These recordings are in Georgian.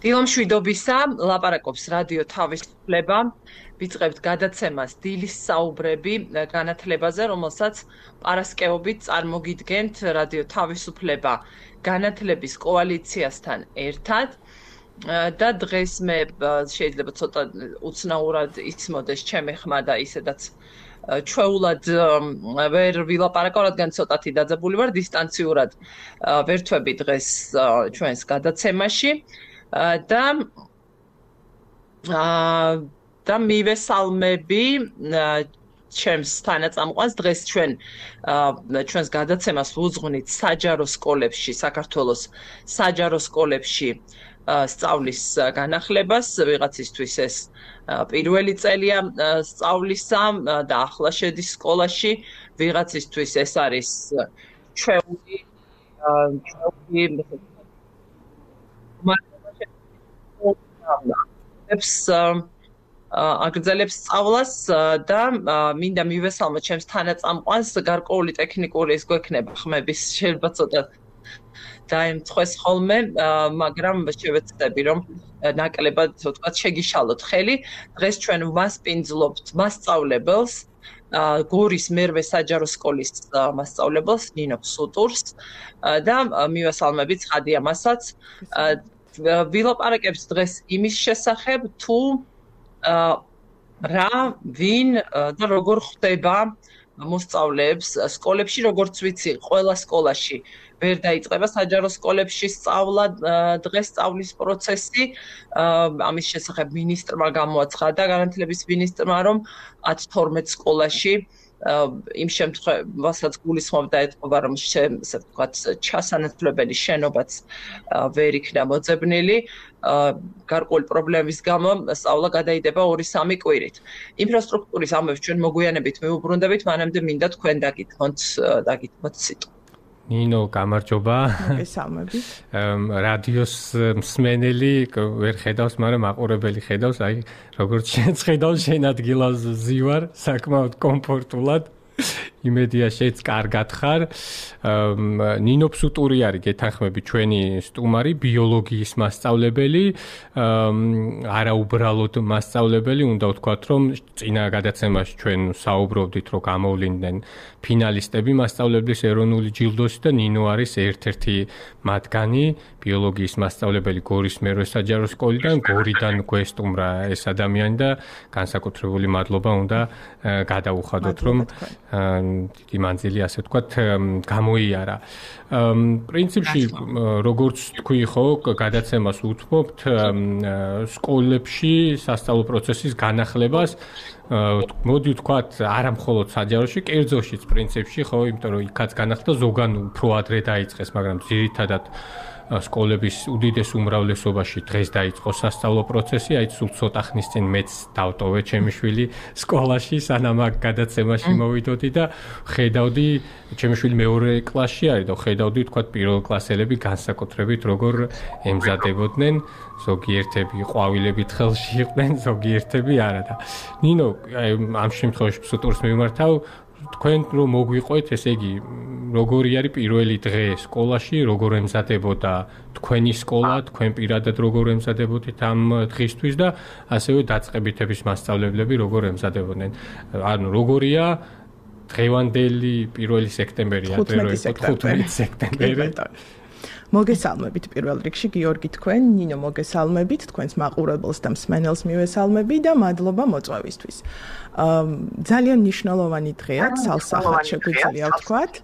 დილომშვიდობისა, ლაპარაკობს რადიო თავისუფლება. ვიწყებთ გადაცემას დილის საუბრები განათლებაზე, რომელსაც პარასკევობით წარმოგიდგენთ რადიო თავისუფლება განათლების კოალიციასთან ერთად. და დღეს მე შეიძლება ცოტა უცნაურად ისმოდეს ჩემი ხმა და ისედაც ჩვეულად ვერ ვილაპარაკო, რადგან ცოტათი დაძაბული ვარ, დისტანციურად ვერთვები დღეს ჩვენს გადაცემაში. და მივესალმები ჩემს თანაწამყვანს. დღეს ჩვენს გადაცემას ვუძღვნით საჯარო სკოლებში, საქართველოს საჯარო სკოლებში სწავლის განახლებას. ვიღაცისთვის ეს პირველი წელია სწავლისა და ახლა შედის სკოლაში, ვიღაცისთვის ეს არის ჩვეული აგრძელებს სწავლას და მინდა მივესალმო ჩემს თანაწამყვანს. გარკვეული ტექნიკური ის გვექნება ხმების, შეიძლება ცოტა დაემწყვეს ხოლმე, მაგრამ შევეცდები რომ ნაკლებად თქვათ შეგიშალოთ ხელი. დღეს ჩვენ ვასპინძლობთ მასწავლებელს, გორის მერვე საჯარო სკოლის მასწავლებელს ნინო სუტურს და მივესალმებით ცხადია მასაც. ვილაპარაკებს დღეს იმის შესახებ, თუ რა, ვინ და როგორ ხდება მოსწავლეებს სკოლებში. როგორც ვიცი, ყველა სკოლაში ვერ დაიწყება საჯარო სკოლებში სწავლა, დღეს სწავლის პროცესი. ამის შესახებ მინისტრმა გამოაცხადა, განათლების მინისტრმა, რომ 10-12 სკოლაში იმ შემთხვევასაც გულისხმობდა და ეთყობა, რომ ესე ვთქვათ, ჩასანაცვლებელი შენობაც ვერ იქნა მოძებნილი. გარკვეული პრობლემის გამო სწავლა გადაიდება 2-3 კვირით. ინფრასტრუქტურის ამბებს ჩვენ მოგვიანებით მივუბრუნდებით, მანამდე მინდა თქვენ დაგითმოთ სიტყვა. ნინო, გამარჯობა. მოგესალმებით. რადიოს მსმენელი ვერ ხედავს, მაგრამ მაყურებელი ხედავს, აი როგორც შენც ხედავს, შენ ადგილას ზივარ, საკმაოდ კომფორტულად. იმედია შეც კარგად ხარ. ნინო სუტური არის, გეთანხმები, ჩვენი სტუმარი, ბიოლოგიის მასწავლებელი, არა უბრალოდ მასწავლებელი, უნდა ვთქვათ, რომ წინა გადაცემაში ჩვენ საუბრობდით, რომ გამოვლინდნენ ფინალისტები მასწავლებლის ეროვნული ჯილდოსი და ნინო არის ერთ-ერთი მათგანი, ბიოლოგიის მასწავლებელი გორის მერვე საჯარო სკოლიდან. გორიდან გვესტუმრა ეს ადამიანი და განსაკუთრებული მადლობა უნდა გადაუხადოთ, რომ დიდი მანძილი, ასე ვთქვათ, გამოიარა. პრინციპში, როგორც თქვი, ხო, გადაცემას უთმობთ სკოლებში სასწავლო პროცესის განახლებას. მოდი ვთქვათ, არა მხოლოდ საჯაროში, კერძოშიც პრინციპში, ხო, იმიტომ რომ იქაც განახლდა, ზოგან უფრო ადრე დაიწყეს, მაგრამ ძირითადად სკოლების უდიდეს უმრავლესობაში დღეს დაიწყო სასწავლო პროცესი. აი სულ ცოტა ხნის წინ მეც დავტოვე ჩემი შვილი სკოლაში, სანამ აქ გადაცემაში მოვიდოდი და ხედავდი, ჩემი შვილი მეორე კლასში არის და ხედავდი, თქვათ, პირველ კლასელები განსაკუთრებით როგორ ემზადებოდნენ. ზოგიერთები ყვავილებით ხელში იყვნენ, ზოგიერთები არა და ნინო, ამ შემთხვევაში სუტურს მივმართავ. თქვენ რომ მოგვიყვეთ, ესე იგი, როგორი არის პირველი დღე სკოლაში, როგორ ემზადებოდა თქვენი სკოლა, თქვენ პირადად როგორ ემზადებოდით ამ დღისთვის და ასევე დაწყებითების მასწავლებლები როგორ ემზადებოდნენ. ანუ როგორია დღევანდელი 1 სექტემბერი, 15 სექტემბერი. მოგესალმებით პირველ რიგში გიორგი თქვენ, ნინო მოგესალმებით, თქვენს მაყურებელს და მსმენელს მივესალმები და მადლობა მოწვევისთვის. ძალიან მნიშვნელოვანი დღეა, სალსახად შეგვიძლია ვთქვათ.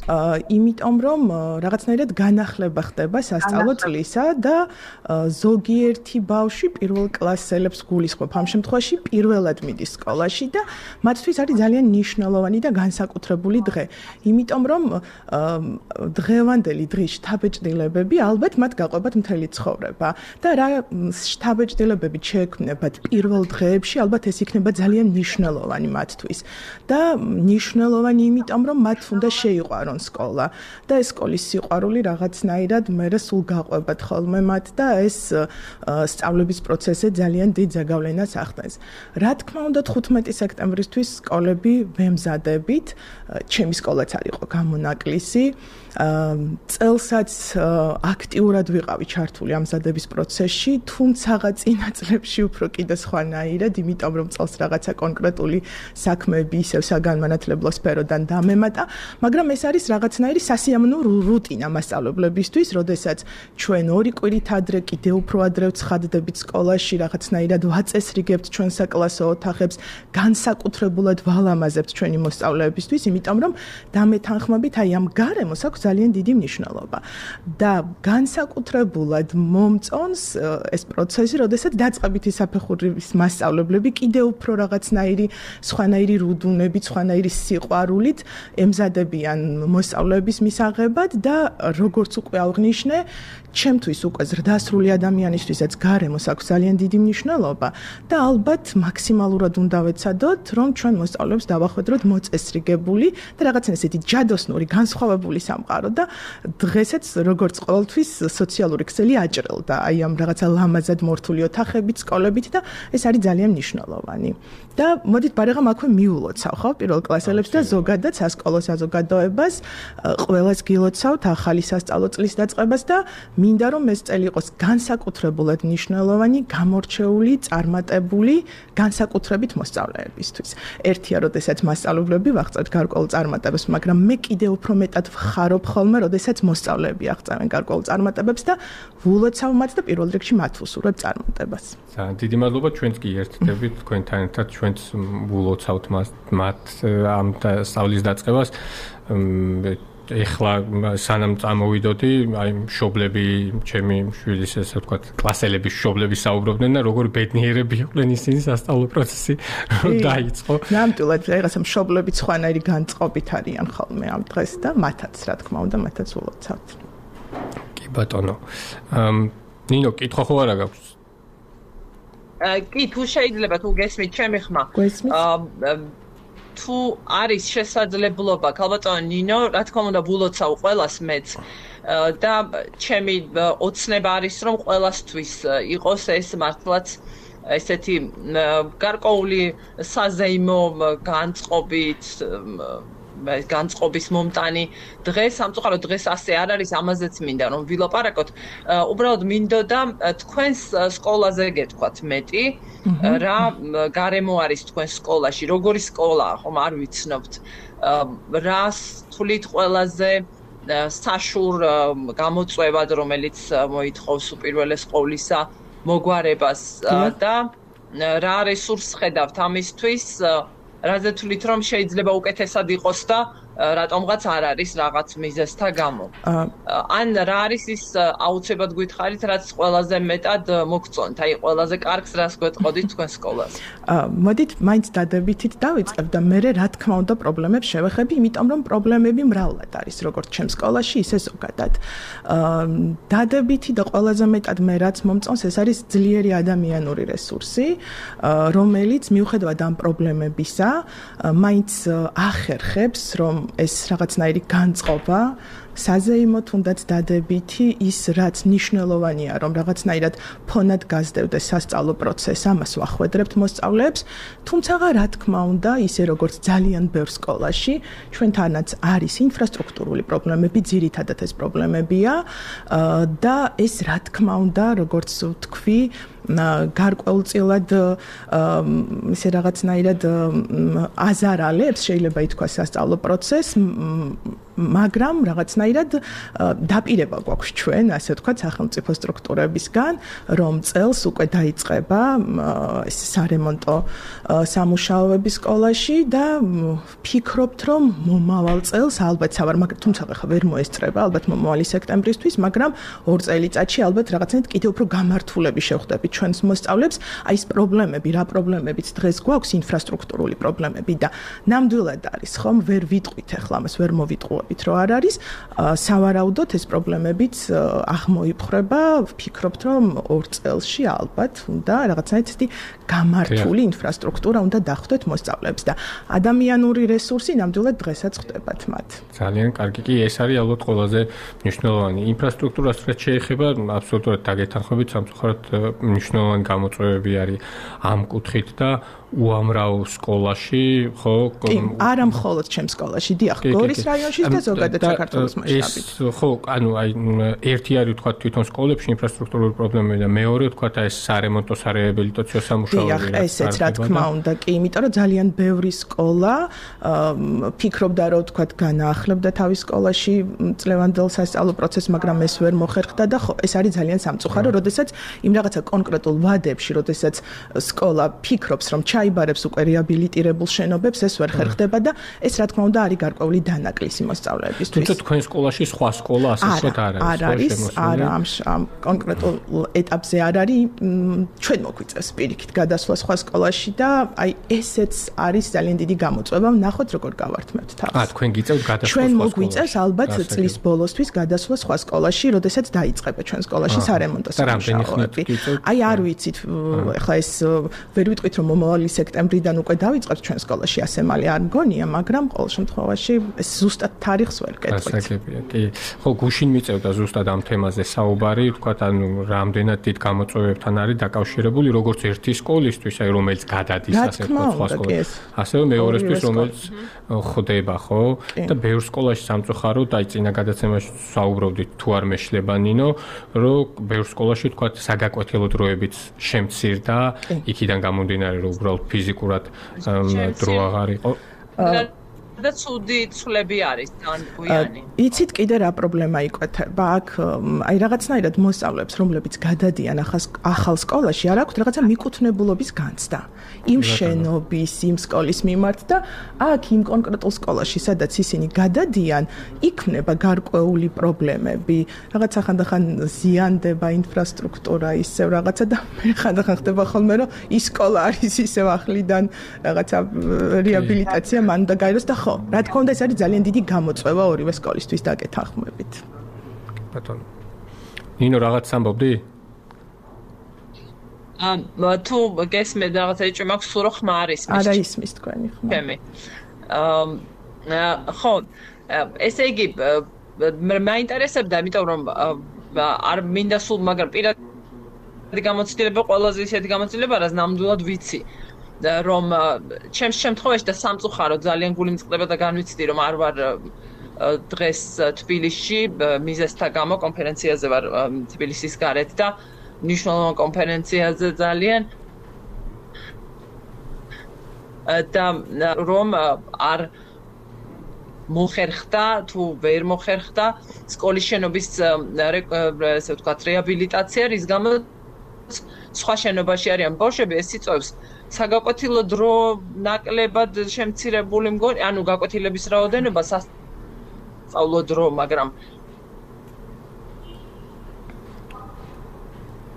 იმიტომ რომ რაღაცნაირად განახლება ხდება სასწავლო წლისა და ზოგიერთი ბავშვი პირველ კლასელებს გულისხმობ. ამ შემთხვევაში პირველად მიდის სკოლაში და მათთვის არის ძალიან მნიშვნელოვანი და განსაკუთრებული დღე. იმიტომ რომ დღევანდელი დღის შთაბეჭდილებები ალბათ მათ გაყვებათ მთელი ცხოვრება და რა შთაბეჭდილებები შეექმნებათ პირველ დღეებში, ალბათ ეს იქნება ძალიან მნიშვნელოვანი მათთვის. და მნიშვნელოვანი იმიტომ რომ მათ უნდა შეიყვარონ მოგწონ სკოლა და ეს სკოლის სიყვარული რაღაცნაირად მერე სულ გაყვებათ ხოლმე მათ და ეს სწავლების პროცესზე ძალიან დიდ ზეგავლენას ახდენს. Რა თქმა უნდა 15 სექტემბრისთვის სკოლები ვემზადებით, ჩემი სკოლაც არ იყო გამონაკლისი. წელსაც აქტიურად ვიყავი ჩართული ამზადების პროცესში, თუმცა წინა წლებში უფრო კიდე სხვანაირად, იმიტომ რომ წელს რაღაცა კონკრეტული საქმეები ისევ საგანმანათლებლო სფეროდან დამემატა, მაგრამ ეს არის რაღაცნაირი სასიამოვნო რუტინა მასწავლებლებისთვის, როდესაც ჩვენ 2 კვირით ადრე კიდე უფრო ადრე ვცხადდებით სკოლაში, რაღაცნაირად ვაწესრიგებთ ჩვენ საკლასო ოთახებს, განსაკუთრებულად ვალამაზებთ ჩვენი მოსწავლეებისთვის, იმიტომ რომ დამეთანხმებით აი ამ გარემოს აქვს ძალიან დიდი მნიშვნელობა და განსაკუთრებულად მომწონს ეს პროცესი, როდესაც დაწყებითი საფეხურის მასწავლებლები კიდევ უფრო რაღაცნაირი სხვანაირი რუდუნებით, სხვანაირი სიყვარულით ემზადებიან მოსწავლეების მისაღებად და როგორც უკვე აღნიშნე, ჩემთვის უკვე ზრდასრული ადამიანისთვისაც გარემოს აქვს ძალიან დიდი მნიშვნელობა და ალბათ მაქსიმალურად უნდა ვეცადოთ, რომ ჩვენ მოსწავლეებს დავახვედროთ მოწესრიგებული და რაღაცა ესეთი ჯადოსნური, განსხვავებული სამყარო და დღესაც როგორც ყოველთვის სოციალური ქსელი აჭრელდა აი ამ რაღაცა ლამაზად მორთული ოთახებით, სკოლებით და ეს არის ძალიან მნიშვნელოვანი. და მოდით ბარიღამ აქვე მიულოცავ ხო პირველ კლასელებს და ზოგადად სასკოლო საზოგადოებას ყველას გილოცავთ ახალი სასწავლო წლის დაწყებას და მინდა რომ ეს წელი იყოს განსაკუთრებულად მნიშვნელოვანი, გამორჩეული, წარმატებული, განსაკუთრებით მოსწავლეებისთვის. ერთია, როდესაც მასწავლებლები ვაღწევთ გარკვეულ წარმატებებს, მაგრამ მე კიდე უფრო მეტად ვხარობ ხოლმე, როდესაც მოსწავლეები აღწევენ გარკვეულ წარმატებებს და ვულოცავ მათ და პირველ რიგში მათ ვუსურვებ წარმატებას. ძალიან დიდი მადლობა, ჩვენც კი ერთდებით თქვენთან ერთად, ჩვენც ვულოცავთ მათ ამ სწავლის დაწყებას. ეხლა სანამ წამოვიდოდი, აი მშობლები, ჩემი შვილის ესე ვთქვათ, კლასელების მშობლები საუბრობდნენ და როგორ ბედნიერები იყვნენ ისინი სასწავლო პროცესი დაიწყო. ნამდვილად, რაღაცა მშობლები სხვანაირი განწყობით არიან ხოლმე ამ დღეს და მათაც, რა თქმა უნდა, მათაც ულოცავთ. კი ბატონო. ნინო, კითხვა ხო არა გაქვს? კი, თუ შეიძლება თუ გესმით ჩემი ხმა. გესმით? თუ არის შესაძლებლობა, ქალბატონო ნინო, რა თქმა უნდა, ვულოცავ ყველას მეც და ჩემი ოცნება არის, რომ ყველასთვის იყოს ეს მართლაც ესეთი გარკვეული საზეიმო განწყობის მომტანი დღე, სამწუხაროდ დღეს ასე არ არის, ამაზეც მინდა რომ ვილაპარაკოთ. უბრალოდ მინდოდა თქვენს სკოლაზე გეტყვათ მეტი, რა გარემო არის თქვენს სკოლაში, როგორი სკოლაა, ხომ არ ვიცნობთ. რას თვლით ყველაზე საშურ გამოწვევად, რომელიც მოითხოვს უპირველეს ყოვლისა მოგვარებას და რა რესურსს ხედავთ ამისთვის, რაზე თვლით რომ შეიძლება უკეთესად იყოს და რატომღაც არ არის რაღაც მიზეზთა გამო. ან რა არის ის აუცილებლად გითხარით, რაც ყველაზე მეტად მოგწონთ, აი ყველაზე კარგს რას გვეტყოდით თქვენ სკოლაზე. მოდით მაინც დადებითით დავიწყებ და მე რა თქმა უნდა პრობლემებს შევეხები, იმიტომ რომ პრობლემები მრავლად არის, როგორც ჩემ სკოლაში, ისე ზოგადად. დადებითი და ყველაზე მეტად მე რაც მომწონს, ეს არის ძლიერი ადამიანური რესურსი, რომელიც მიუხედავად ამ პრობლემებისა, მაინც ახერხებს, რომ ეს რაღაცნაირი განწყობა საზეიმო თუნდაც დადებითი ის რაც მნიშვნელოვანია რომ რაღაცნაირად ფონად გაზრდევდეს სასწავლო პროცესს ამას ვახვედრებთ მოსწავლეებს თუმცა რა თქმა უნდა ისე როგორც ძალიან ბევრ სკოლაში ჩვენთანაც არის ინფრასტრუქტურული პრობლემები ძირითადად ეს პრობლემებია და ეს რა თქმა უნდა როგორც ვთქვი გარკვეულწილად ისე რაღაცნაირად აზარალებს შეიძლება ითქვას სასწავლო პროცესს მაგრამ რაღაცნაირად დაპირება გვაქვს ჩვენ ასე ვთქვათ სახელმწიფო სტრუქტურებისგან რომ წელს უკვე დაიწყება ეს სარემონტო სამუშაოები სკოლაში და ფიქრობთ რომ მომავალ წელს ალბათ თუმცა ხა ვერ მოესწრება ალბათ მომავალი სექტემბრისთვის მაგრამ 2 წელიწადში ალბათ რაღაცნაირად კიდევ უფრო გამართულები შევხვდებით ჩვენს მოსწავლეებს აი ეს პრობლემები რა პრობლემებიც დღეს გვაქვს ინფრასტრუქტურული პრობლემები და ნამდვილად არის ხომ ვერ ვიტყვით ახლა ამას ვერ მოვიტყუოთ ვფიქრობთ, რომ არ არის, სავარაუდოდ ეს პრობლემებიც აღმოიფხვრება, ვფიქრობთ, რომ 2 წელში ალბათ უნდა რაღაცნაირად ესეთი გამართული ინფრასტრუქტურა უნდა დახვდეთ მოსწავლეებს და ადამიანური რესურსი ნამდვილად დღესაც ხდებათ მათ. ძალიან კარგი კი ეს არის ალბათ ყველაზე მნიშვნელოვანი ინფრასტრუქტურას რაც შეეხება აბსოლუტურად დაგეთანხმებით სამწუხაროდ მნიშვნელოვანი გამოწვევები არის ამ კუთხით და უამრავ სკოლაში ხო არა მხოლოდ ჩემს სკოლაში დიახ გორის რაიონში და ზოგადად საქართველოს მასშტაბით ხო ანუ აი ერთი არის თქვა თვითონ სკოლებში ინფრასტრუქტურული პრობლემები და მეორე თქვა ეს სარემონტო სარეაბილიტაციო სამუშაოები დიახ ესეც რა თქმა უნდა კი იმიტომ რომ ძალიან ბევრი სკოლა ფიქრობდა რომ თქვა განაახლებდა თავის სკოლაში წლევანდელ სასწავლო პროცესს მაგრამ ეს ვერ მოხერხდა და ხო ეს არის ძალიან სამწუხარო როდესაც იმ რაღაცა კონკრეტულ ვადებში როდესაც სკოლა ფიქრობს რომ ჩაიბარებს უკვე რეაბილიტირებულ შენობებს ეს ვერ ხერხდება და ეს რა თქმა უნდა არის გარკვეული დანაკლისი მოსწავლეებისთვის. თუმცა თქვენ სკოლაში სხვა სკოლა ასე ვთქვათ არ არის. არა ამ კონკრეტულ ეტაპზე არ არის. ჩვენ მოგვიწევს პირიქით გადასვლა სხვა სკოლაში და აი ესეც არის ძალიან დიდი გამოწვევა. ნახოთ როგორ გავართმევთ თავს. თქვენ გიწევთ გადასვლა ჩვენ მოგვიწევს ალბათ წლის ბოლოსთვის გადასვლა სხვა სკოლაში, როდესაც დაიწყება ჩვენ სკოლაში სარემონტო სამუშაოები. აი არ ვიცით, ეხლა ეს ვერ ვიტყვით რომ მომავალი სექტემბრიდან უკვე დავიწყებთ ჩვენ სკოლაში ასე მალე არ მგონია, მაგრამ ყოველ შემთხვევაში ეს ზუსტად თარიღს ვერ გეტყვით. ასაგებია, კი. ხო, გუშინ მიწევდა ზუსტად ამ თემაზე საუბარი, ვთქვათ, ანუ რამდენად დიდ გამოწვევებთან არის დაკავშირებული როგორც ერთი სკოლისთვის, აი რომელიც გადადის ასე ვთქვათ სხვა სკოლაში. ასევე მეორესთვის რომელიც ხდება, ხო? და ბევრ სკოლაში სამწუხაროდ აი წინა გადაცემაში საუბრობდით თუ არ მეშლება ნინო, რომ ბევრ სკოლაში ვთქვათ საგაკვეთილო დროებიც შემცირდა, იქიდან გამომდინარე რომ უბრალოდ ფიზიკურად დრო აღარ იყო. და ცუდი ცვლები არის თან გვიანი. იცით კიდე რა პრობლემა იკვეთება აქ აი რაღაცნაირად მოსწავლეებს რომლებიც გადადიან ახალ სკოლაში არ აქვთ რაღაცა მიკუთვნებულობის განცდა იმ შენობის იმ სკოლის მიმართ და აქ იმ კონკრეტულ სკოლაში სადაც ისინი გადადიან იქმნება გარკვეული პრობლემები რაღაც ახანდახან ზიანდება ინფრასტრუქტურა ისევ რაღაცა და მე ხანდახან ხდება ხოლმე რომ ის სკოლა არის ისევ ახლიდან რაღაცა რეაბილიტაცია მან და გაიროს და რა თქმა უნდა ეს არის ძალიან დიდი გამოწვევა ორივე სკოლისთვის დაგეთანხმებით. ბატონო. ნინო რაღაც ამბობდი? თუ გესმე რაღაცა იჭი მაქვს სულ რო ხმა არის მის. არა ისმის თქვენი ხმა. ჩემი. ხო, ესე იგი მაინტერესებდა, იმიტომ რომ არ მინდა სულ მაგრამ პირადი გამოცდილება ყველაზე ისეთი გამოცდილება, რაც ნამდვილად ვიცი. რომ ჩემს შემთხვევაში და სამწუხაროდ ძალიან გული მწყდება და განვიცდი რომ არ ვარ დღეს თბილისში მიზესთა გამო კონფერენციაზე ვარ თბილისის გარეთ და მნიშვნელოვან კონფერენციაზე ძალიან და რომ არ მოხერხდა თუ ვერ მოხერხდა სკოლის შენობის ესე ვთქვათ რეაბილიტაცია რის გამო სხვა შენობაში არიან ბავშვები ეს იწვევს საგაკვეთილო დრო ნაკლებად შემცირებული მგონი, ანუ გაკვეთილების რაოდენობა სასწავლო დრო, მაგრამ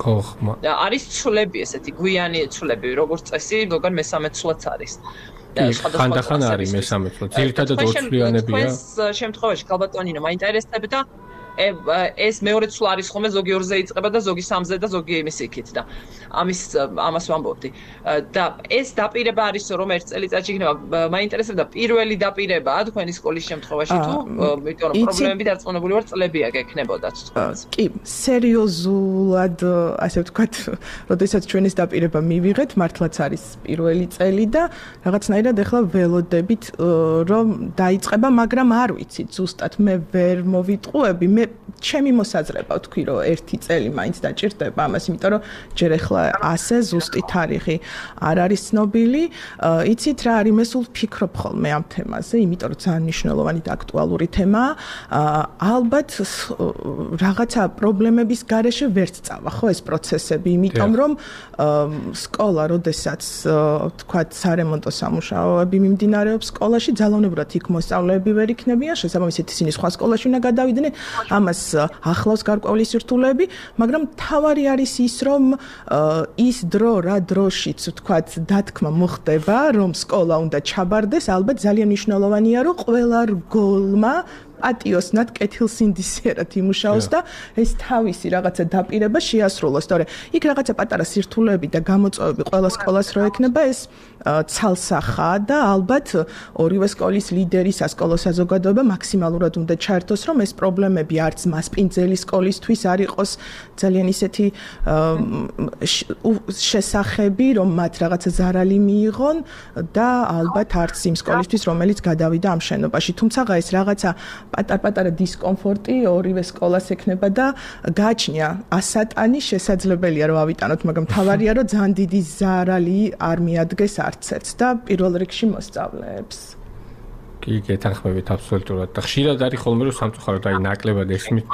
ხოხმა. არის ცვლები ესეთი, გვიანი ცვლები, როგორც წესი, ზოგან მესამე ცვლაც არის. ხანდახან არის მესამე ცვლაც. ძირითადად ორცვლიანებია. ეს შემთხვევაში ქალბატონინო მაინტერესებდა ეს მეორე ცვლა არის ხოლმე ზოგი 2-ზე იწყება და ზოგი 3-ზე და ზოგი იმის იქით და ამას ვამბობდი და ეს დაპირება არის რომ ერთ წელიწადში იქნება მაინტერესებდა პირველი დაპირებაა თქვენი სკოლის შემთხვევაში თუ იმიტომ რომ პრობლემები დარწმუნებული ვარ წლებია გექნებოდათ თქვენს კი სერიოზულად ასე ვთქვათ როდესაც ჩვენ ეს დაპირება მივიღეთ მართლაც არის პირველი წელი და რაღაცნაირად ეხლა ველოდებით რომ დაიწყება მაგრამ არ ვიცით ზუსტად მე ვერ მოვიტყუები მე ჩემი მოსაზრება ვთქვი რომ ერთი წელი მაინც დაჭირდება ამას იმიტომ რომ ჯერ ახლა ასე ზუსტი თარიღი არ არის ცნობილი იცით რა არის მე სულ ვფიქრობ ხოლმე ამ თემაზე იმიტომ რომ ძალიან მნიშვნელოვანი და აქტუალური თემაა ალბათ რაღაცა პრობლემების გარეშე ვერ წავა ხო ეს პროცესები იმიტომ რომ სკოლა როდესაც ვთქვათ სარემონტო სამუშაოები მიმდინარეობს სკოლაში ძალაუნებურად იქ მოსწავლეები ვერ იქნებიან შესაბამისად ისინი სხვა სკოლაში უნდა გადავიდნენ ამას ახლავს გარკვეული სირთულეები, მაგრამ თავარი არის ის, რომ ის დრო რა დროშიც, ვთქვათ, დათქმა მოხდება, რომ სკოლა უნდა ჩაბარდეს, ალბათ ძალიან მნიშვნელოვანია, რომ ყველა რგოლმა პატიოსნად კეთილსინდისიერად იმუშაოს და ეს თავისი რაღაცა დაპირება შეასრულოს. თორე იქ რაღაცა პატარა სირთულეები და გამოწვევები ყველა სკოლას რო ექნება ეს ცალსახაა და ალბათ ორივე სკოლის ლიდერი სასკოლო საზოგადოება მაქსიმალურად უნდა ჩაერთოს რომ ეს პრობლემები არც მასპინძელი სკოლისთვის არ იყოს ძალიან ისეთი შესახები რომ მათ რაღაცა ზარალი მიიღონ და ალბათ არც იმ სკოლისთვის რომელიც გადავიდა ამ შენობაში თუმცა ეს რაღაცა პატარ-პატარა დისკომფორტი ორივე სკოლას ექნება და გააჩნია ასატანი შესაძლებელია რომ ავიტანოთ მაგრამ თავარია რომ ძალიან დიდი ზარალი არ მიადგეს არც ერთს და პირველ რიგში მოსწავლეებს კი გეთანხმებით აბსოლუტურად და ხშირად არის ხოლმე რომ სამწუხაროდ აი ნაკლებად ესმით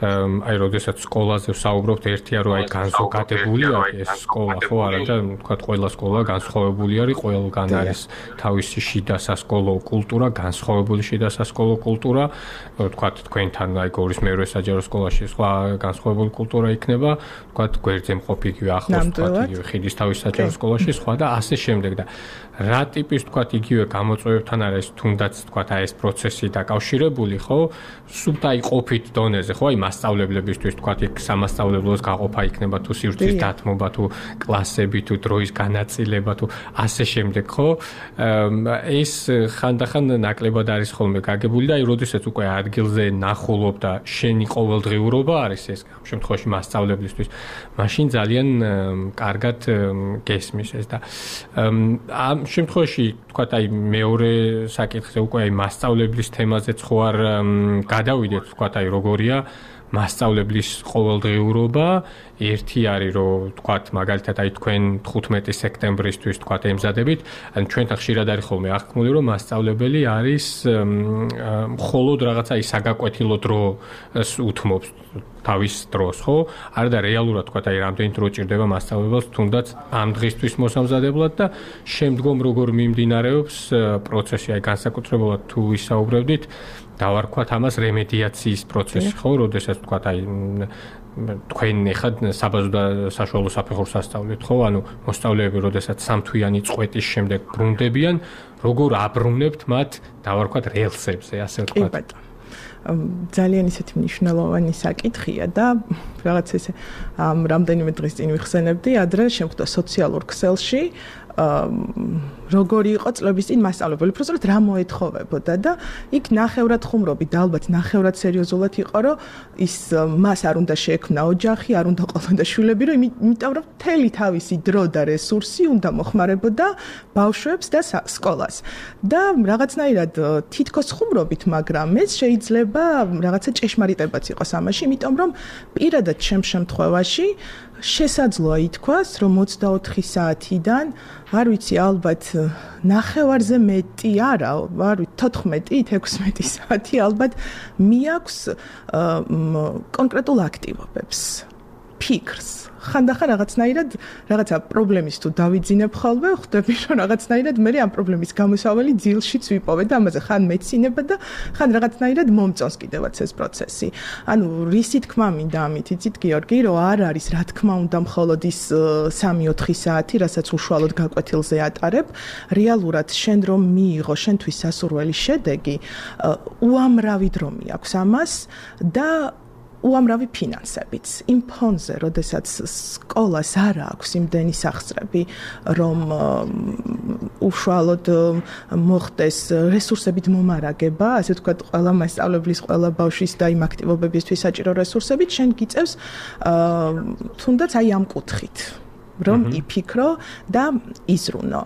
აი როდესაც სკოლაზე ვსაუბრობთ ერთია რომ აი განზოგადებულია ეს სკოლა ხო არა და თქვა ყველა სკოლა განსხვავებული არის ყველგან არის თავისი შიდა სასკოლო კულტურა განსხვავებული შიდა სასკოლო კულტურა თქვა თქვენთან აი გორის მეორე საჯარო სკოლაში სხვა განსხვავებული კულტურა იქნება თქვა გვერდზე მყოფი იგივე ახლოს თქვა იგივე ხიდის თავის საჯარო სკოლაში სხვა და ასე შემდეგ და რა ტიპის თქვა იგივე გამოწვევებთან არის თუნდაც თქვა აი ეს პროცესი დაკავშირებული ხო სულ აი ყოფით დონეზე ხო აი მასწავლებლებისთვის თქვა იქ სამასწავლებლოს გაყოფა იქნება თუ სივრცის დათმობა თუ კლასები თუ დროის განაწილება თუ ასე შემდეგ ხო ეს ხანდახან ნაკლებად არის ხოლმე გაგებული და აი როდესაც უკვე ადგილზე ნახულობ და შენი ყოველდღიურობა არის ეს ამ შემთხვევაში მასწავლებლისთვის მაშინ ძალიან კარგად გესმის ეს და ამ შემთხვევაში თქვა აი მეორე საკითხზე უკვე აი მასწავლებლის თემაზეც ხო არ გადავიდეთ თქვა აი როგორია მასწავლებლის ყოველდღიურობა ერთი არის რომ თქვათ მაგალითად აი თქვენ 15 სექტემბრისთვის თქვათ ემზადებით ან ჩვენთან ხშირად არის ხოლმე აღქმული რომ მასწავლებელი არის მხოლოდ რაღაცა ის საგაკვეთილო დროს უთმობს თავის დროს ხო არა და რეალურად თქვათ აი რამდენი დრო ჭირდება მასწავლებელს თუნდაც ამ დღისთვის მოსამზადებლად და შემდგომ როგორ მიმდინარეობს პროცესი აი განსაკუთრებულად თუ ვისაუბრებდით დავარქვათ ამას რემედიაციის პროცესი ხო როდესაც თქვათ აი თქვენ ეხად საბაზო და საშუალო საფეხურს ასწავლეთ ხო ანუ მოსწავლეები როდესაც სამთვიანი წვეტის შემდეგ ბრუნდებიან როგორ აბრუნებთ მათ დავარქვათ რელსებზე ასე ვთქვათ ძალიან ისეთი მნიშვნელოვანი საკითხია და რაღაც ესე რამდენიმე დღის წინ ვიხსენებდი ადრე შემხვდა სოციალურ ქსელში როგორი იყო წლების წინ მასწავლებელი, უბრალოდ რა მოეთხოვებოდა და იქ ნახევრად ხუმრობი და ალბათ ნახევრად სერიოზულად იყო, რომ ის მას არ უნდა შეექმნა ოჯახი, არ უნდა ყოლოდა შვილები, რომ იმიტომ რომ მთელი თავისი დრო და რესურსი უნდა მოხმარებოდა ბავშვებს და სკოლას. და რაღაცნაირად თითქოს ხუმრობით, მაგრამ ეს შეიძლება რაღაცა ჭეშმარიტებაც იყოს ამაში, იმიტომ რომ პირადად ჩემს შემთხვევაში შესაძლოა ითქვას, რომ 24 საათიდან არ ვიცი ალბათ ნახევარზე მეტი არა, არ ვიცი 14-16 საათი ალბათ მიაქვს კონკრეტულ აქტივობებს, ფიქრს. ხანდახან რაღაცნაირად რაღაცა პრობლემის თუ დავიძინებ ხოლმე, ხვდები რომ რაღაცნაირად მე ამ პრობლემის გამოსავალი ძილშიც ვიპოვე და ამაზე ხან მეცინება და ხან რაღაცნაირად მომწონს კიდევაც ეს პროცესი. ანუ რისი თქმა მინდა ამით იცით გიორგი, რომ არ არის რა თქმა უნდა მხოლოდ ის 3-4 საათი, რასაც უშუალოდ გაკვეთილზე ატარებ, რეალურად შენ რომ მიიღო შენთვის სასურველი შედეგი, უამრავი დრო მიაქვს ამას და უამრავი ფინანსებიც. იმ ფონზე, როდესაც სკოლას არ აქვს იმდენი სახსრები, რომ უშუალოდ მოხდეს რესურსებით მომარაგება, ასე ვთქვათ, ყველა მასწავლებლის, ყველა ბავშვის და იმ აქტივობებისთვის საჭირო რესურსებით, შენ გიწევს თუნდაც აი ამ კუთხით. რომ იფიქრო და იზრუნო.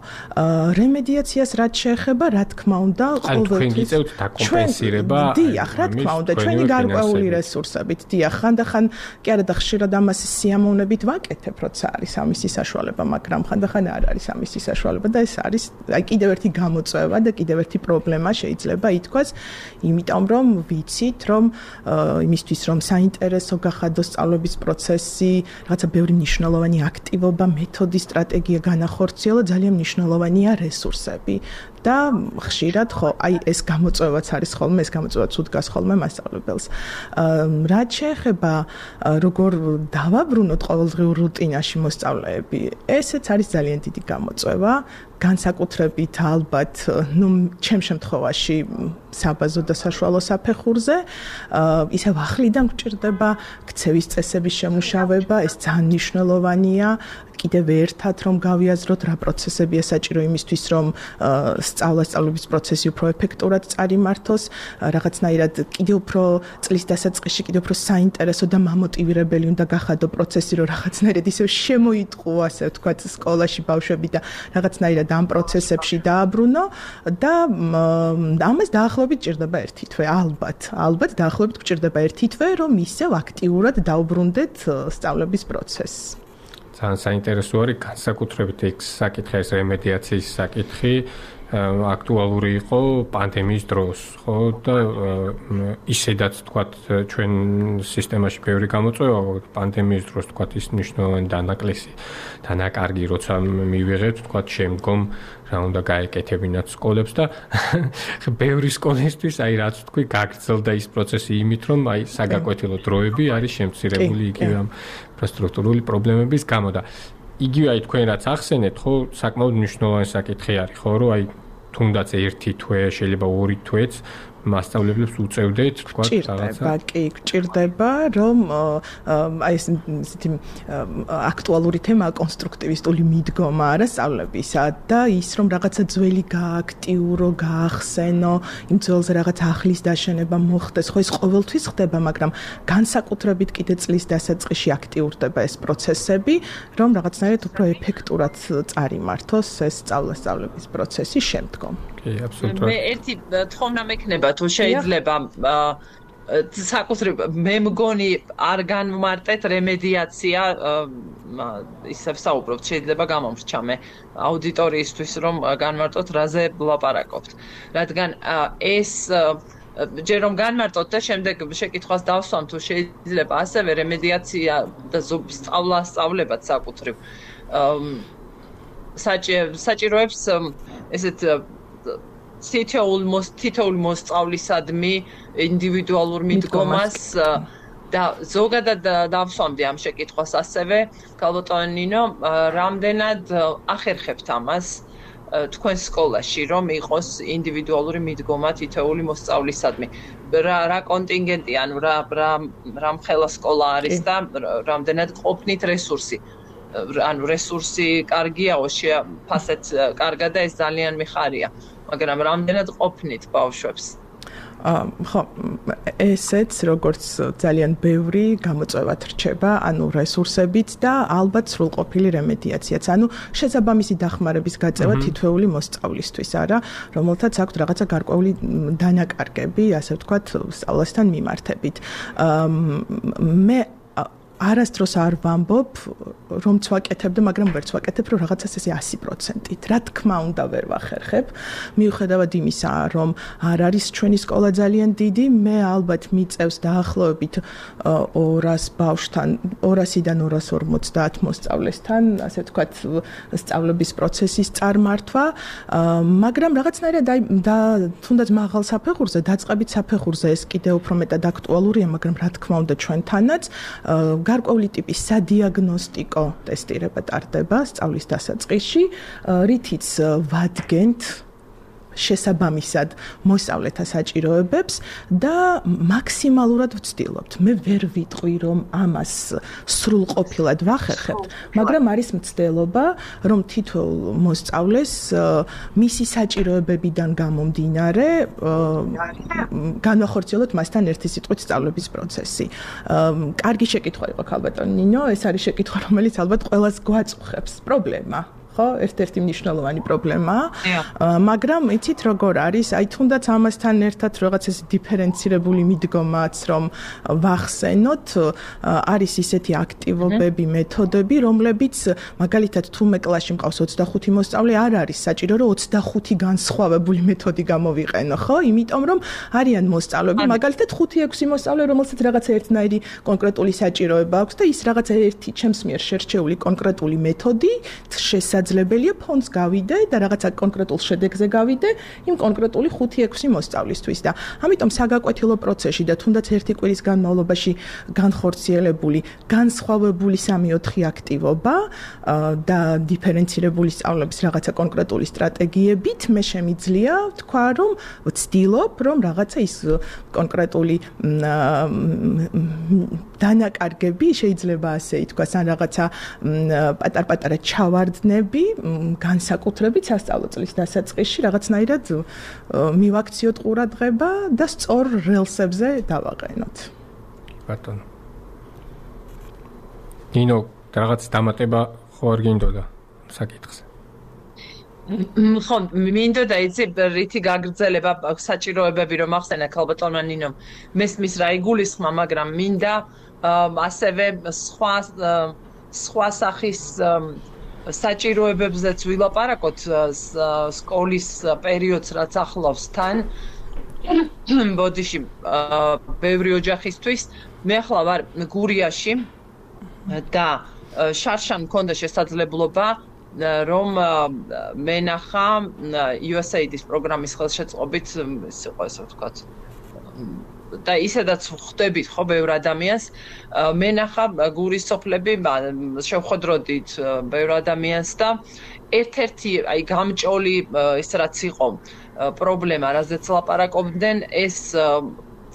რემედიაციას რაც შეეხება, რა თქმა უნდა, ყოველთვის გიწევთ დაკომპენსირება. დიახ, რა თქმა უნდა, ჩვენი გარკვეული რესურსებით. დიახ, ხანდახან კი არა და ხშირად ამას სიამოვნებით ვაკეთებ, როცა არის ამისი საშუალება, მაგრამ ხანდახან არ არის ამისი საშუალება და ეს არის აი კიდევ ერთი გამოწვევა და კიდევ ერთი პრობლემა შეიძლება ითქვას, იმიტომ რომ ვიცით, რომ იმისთვის რომ საინტერესო გახადოს სწავლების პროცესი, რაღაცა ბევრი მნიშვნელოვანი აქტივობა მეთოდი, სტრატეგია განახორციელა, ძალიან მნიშვნელოვანია რესურსები და ხშირად ხო, აი ეს გამოწვევაც არის ხოლმე, ეს გამოწვევაც უდგას ხოლმე მასწავლებელს. რაც შეეხება როგორ დავაბრუნოთ ყოველდღიურ რუტინაში მოსწავლეები, ესეც არის ძალიან დიდი გამოწვევა. განსაკუთრებით ალბათ, ჩემ შემთხვევაში საბაზო და საშუალო საფეხურზე, ისევ ახლიდან გვჭირდება ქცევის წესების შემუშავება, ეს ძალიან მნიშვნელოვანია. კიდევ ერთად რომ გავიაზროთ რა პროცესებია საჭირო იმისთვის რომ სწავლების პროცესი უფრო ეფექტურად წარიმართოს, რაღაცნაირად კიდევ უფრო წლის დასაწყისში კიდევ უფრო საინტერესო და მამოტივირებელი უნდა გახადო პროცესი, რომ რაღაცნაირად ისევ შემოიტყუო, ასე ვთქვათ, სკოლაში ბავშვები და რაღაცნაირად ამ პროცესებში დააბრუნო და ამას დაახლოებით ჭირდება ერთი თვე, ალბათ დაახლოებით გჭირდება ერთი თვე, რომ ისევ აქტიურად დაუბრუნდეთ სწავლების პროცესს. ძალიან საინტერესო არის განსაკუთრებით ეს საკითხი, ეს რემედიაციის საკითხი აქტუალური იყო პანდემიის დროს, ხო და ისედაც თქვათ ჩვენ სისტემაში ბევრი გამოწვევა პანდემიის დროს თქვათ ის მნიშვნელოვანი დანაკარგი როცა მივიღეთ თქვათ შემდგომ რა უნდა გაეკეთებინათ სკოლებს და ბევრი სკოლისთვის აი რაც თქვი გაგრძელდა ის პროცესი იმით რომ აი საგაკვეთილო დროები არის შემცირებული იგივე ამ ინფრასტრუქტურული პრობლემების გამო და იგივე აი თქვენ რაც ახსენეთ ხო საკმაოდ მნიშვნელოვანი საკითხი არის ხო რომ აი თუნდაც ერთი თვე შეიძლება ორი თვეც მასწავლებლებს უწევდეთ თქვა რაღაცა გჭირდება რომ აი ეს ისეთი აქტუალური თემაა კონსტრუქტივისტული მიდგომა არა სწავლებისა და ის რომ რაღაცა ძველი გააქტიურო, გაახსენო, იმ ძველზე რაღაც ახლის დაშენება მოხდეს, ხო ეს ყოველთვის ხდება, მაგრამ განსაკუთრებით კიდე წლის დასაწყისში აქტიურდება ეს პროცესები, რომ რაღაცნაირად უფრო ეფექტურად წარიმართოს ეს სწავლების პროცესი შემდგომ. კი, აბსოლუტურად. მე ერთი თხოვნა მექნება თუ შეიძლება საკუთრივ მე მგონი არ განვმარტეთ რემედიაცია ისევ საუბრობთ შეიძლება გამომრჩა მე აუდიტორიისთვის რომ განვარტოთ რაზე ვლაპარაკობთ რადგან ეს ჯერ რომ განვარტოთ და შემდეგ შეკითხვას დავსვამ თუ შეიძლება ასევე რემედიაცია და სწავლებაც საკუთრივ საჭიროებს ესეთ თითოეული მოსწავლისადმი ინდივიდუალურ მიდგომას და ზოგადად დავსვამდი ამ შეკითხვას ასევე ქალბატონო ნინო რამდენად ახერხებთ ამას თქვენ სკოლაში რომ იყოს ინდივიდუალური მიდგომა თითოეული მოსწავლისადმი რა კონტინგენტი ანუ რა მხელა სკოლა არის და რამდენად ყოფნით რესურსი ანუ რესურსი კარგიაო ფასეთ კარგა და ეს ძალიან მიხარია მაგრამ რამდენად ყოფნით ბავშვებს ხო ესეც როგორც ძალიან ბევრი გამოწვევად რჩება ანუ რესურსებით და ალბათ სრულყოფილი რემედიაციაც ანუ შესაბამისი დახმარების გაწევა თითოეული მოსწავლისთვის არა რომელთაც აქვთ რაღაცა გარკვეული დანაკარგები ასე ვთქვათ სწავლასთან მიმართებით მე არასდროს არ ვამბობ, რომ ვაკეთებდი, მაგრამ ვერც ვაკეთებ, რომ რაღაცას ესე 100%-ით. რა თქმა უნდა ვერ ვახერხებ. მიუხედავად იმისა, რომ არ არის ჩვენი სკოლა ძალიან დიდი, მე ალბათ მიწევს დაახლოებით 200 ბავშვთან, 200-დან 250 მოსწავლესთან, ასე ვთქვათ, სწავლების პროცესის წარმართვა, მაგრამ რაღაცნაირად და თუნდაც მაღალ საფეხურზე, დაწყებით საფეხურზე ეს კიდევ უფრო მეტად აქტუალურია, მაგრამ რა თქმა უნდა ჩვენთანაც გარკვეული ტიპის სადიაგნოსტიკო ტესტირება ტარდება სწავლის დასაწყისში, რითიც ვადგენთ შესაბამისად მოსწავლეთა საჭიროებებს და მაქსიმალურად ვცდილობთ. მე ვერ ვიტყვი, რომ ამას სრულყოფილად ვახერხებთ, მაგრამ არის მცდელობა, რომ თითოეულ მოსწავლეს მისი საჭიროებებიდან გამომდინარე განვახორციელოთ მასთან ერთი სიტყვით სწავლების პროცესი. კარგი შეკითხვა იყო ქალბატონ ნინო, ეს არის შეკითხვა, რომელიც ალბათ ყველას გვაწუხებს. პრობლემა ხო, ერთ-ერთი მნიშვნელოვანი პრობლემაა. მაგრამ იცით როგორ არის, აი თუნდაც ამასთან ერთად რაღაც ეს დიფერენცირებული მიდგომაც რომ ვახსენოთ, არის ისეთი აქტივობები, მეთოდები, რომლებიც მაგალითად თუმე კლასში მყავს 25 მოსწავლე, არ არის საჭირო რომ 25 განსხვავებული მეთოდი გამოვიყენო, ხო? იმიტომ რომ არიან მოსწავლეები, მაგალითად 5-6 მოსწავლე, რომელსაც რაღაცა ერთნაირი კონკრეტული საჭიროება აქვს და ის რაღაცა ერთი ჩემს მიერ შერჩეული კონკრეტული მეთოდი შესაძლოა შესაძლებელია ფონდს გავიდე და რაღაცა კონკრეტულ შედეგზე გავიდე იმ კონკრეტული 5-6 მოსწავლისთვის და ამიტომ საგაკვეთილო პროცესში და თუნდაც ერთი კვირის განმავლობაში განხორციელებული განსხვავებული 3-4 აქტივობა და დიფერენცირებული სწავლების რაღაცა კონკრეტული სტრატეგიებით მე შემიძლია თქვა რომ ვცდილობ რომ რაღაცა ის კონკრეტული დანაკარგები შეიძლება ასე ითქვას ან რაღაცა პატარ-პატარა ჩავარდნები განსაკუთრებით სასწავლო წლის დასაწყისში რაღაცნაირად მივაქციოთ ყურადღება და სწორ რელსებზე დავაყენოთ. ბატონო. ნინო, რაღაც დამატება ხო არ გინდოდა საკითხზე? ხო, მინდოდა იცი რითი გაგრძელება საჭიროებები რომ ახსენა ქალბატონმა ნინომ. მესმის რა იგულისხმა, მაგრამ მინდა ასევე სხვა სახის საჭიროებებზეც ვილაპარაკოთ სკოლის პერიოდს რაც ახლავს თან. ბოდიში ბევრი ოჯახისთვის მე ახლა ვარ გურიაში და შარშან მქონდა შესაძლებლობა რომ მენახა USAID-ის პროგრამის ხელშეწყობით ის იყო ესე ვთქვათ და ისედაც ხვდებით ხო ბევრ ადამიანს მენახა გურის სოფლები შევხვედროდით ბევრ ადამიანს და ერთ-ერთი აი გამჭოლი ის რაც იყო პრობლემა რაზეც ლაპარაკობდნენ ეს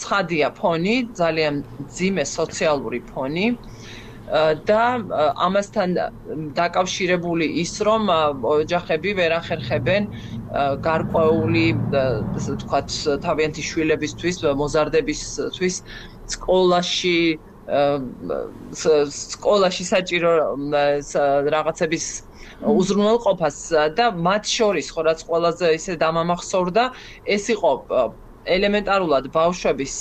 ცხადია ფონი ძალიან მძიმე სოციალური ფონი და ამასთან დაკავშირებული ის რომ ოჯახები ვერ ახერხებენ გარკვეული ასე ვთქვათ თავიანთი შვილებისთვის მოზარდებისთვის სკოლაში საჭირო რაღაცების უზრუნველყოფას და მათ შორის ხო რაც ყველაზე ისე დამამახსოვრდა ეს იყო ელემენტარულად ბავშვების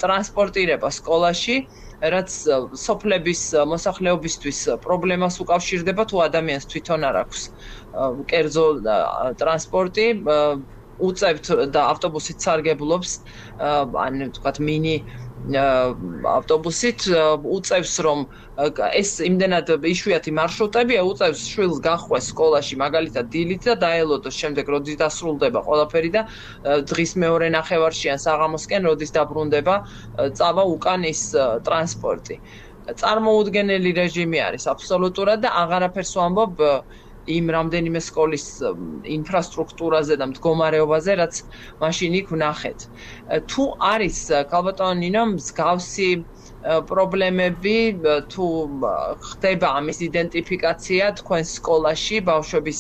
ტრანსპორტირება სკოლაში რაც სოფლების მოსახლეობისთვის პრობლემას უკავშირდება თუ ადამიანს თვითონ არ აქვს კერძო ტრანსპორტი უწევთ და ავტობუსით სარგებლობს ან ვთქვათ მინი ავტობუსით უწევს რომ ეს იმდენად იშვიათი მარშრუტებია უწევს შვილს გახვეს სკოლაში მაგალითად დილით და დაელოდოს შემდეგ როდის დასრულდება ყველაფერი და დღის მეორე ნახევარში ან საღამოსკენ როდის დაბრუნდება წავა უკან ის ტრანსპორტი წარმოუდგენელი რეჟიმი არის აბსოლუტურად და აღარაფერს ვამბობ იმ რამდენიმე სკოლის ინფრასტრუქტურაზე და მდგომარეობაზე, რაც მაშინ იქ ვნახეთ. თუ არის ქალბატონო ნინო მსგავსი პრობლემები, თუ ხდება ამის იდენტიფიკაცია თქვენ სკოლაში ბავშვების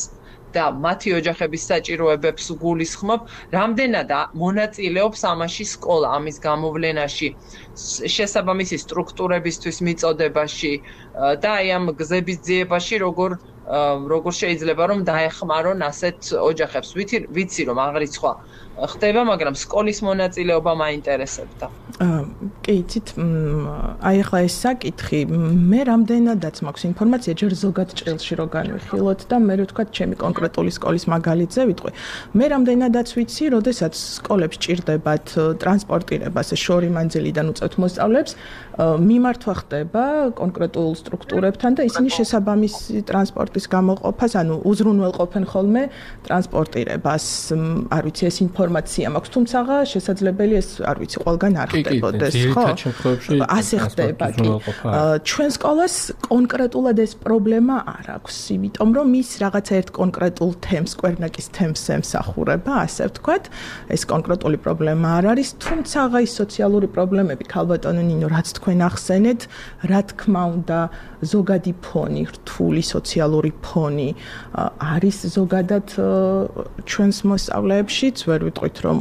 და მათი ოჯახების საჭიროებებს გულისხმობ, რამდენად მონაწილეობს ამაში სკოლა ამის გამოვლენაში, შესაბამისი სტრუქტურებისთვის მიწოდებაში და აი ამ გზების ძიებაში როგორ შეიძლება რომ დაეხმარონ ასეთ ოჯახებს. ვიცი რომ აღრიცხვა ხდება, მაგრამ სკოლის მონაწილეობა მაინტერესებდა. კი, იცით, აი ახლა ეს საკითხი, მე რამდენადაც მაქვს ინფორმაცია, ჯერ ზოგად ჭრილში რო განვიხილოთ და მე ვთქვათ, ჩემი კონკრეტული სკოლის მაგალითზე ვიტყვი. მე რამდენადაც ვიცი, როდესაც სკოლებს ჭირდებათ ტრანსპორტირებას შორი მანძილიდან უწევთ მოსწავლეებს, მიმართვა ხდება კონკრეტულ სტრუქტურებთან და ისინი შესაბამისი ტრანსპორტის გამოყოფას, ანუ უზრუნველყოფენ ხოლმე ტრანსპორტირებას. არ ვიცი, ეს ინფორმაცია მაქვს, თუმცა შესაძლებელი ეს არ ვიცი, ყველგან არ ხდებოდეს, ხო? ასე ხდება, კი. ჩვენ სკოლას კონკრეტულად ეს პრობლემა არ აქვს, იმიტომ რომ ის რაღაცა ერთ კონკრეტულ თემს, კვერნაკის თემს ემსახურება, ასე ვთქვათ. ეს კონკრეტული პრობლემა არ არის, თუმცა ის სოციალური პრობლემები, ქალბატონო ნინო, რაც თქვენ ახსენეთ, რა თქმა უნდა, ზოგადი ფონი, რთული სოციალური ფონი არის ზოგადად ჩვენს მოსწავლეებშიც, ვერ ვიტყვით რომ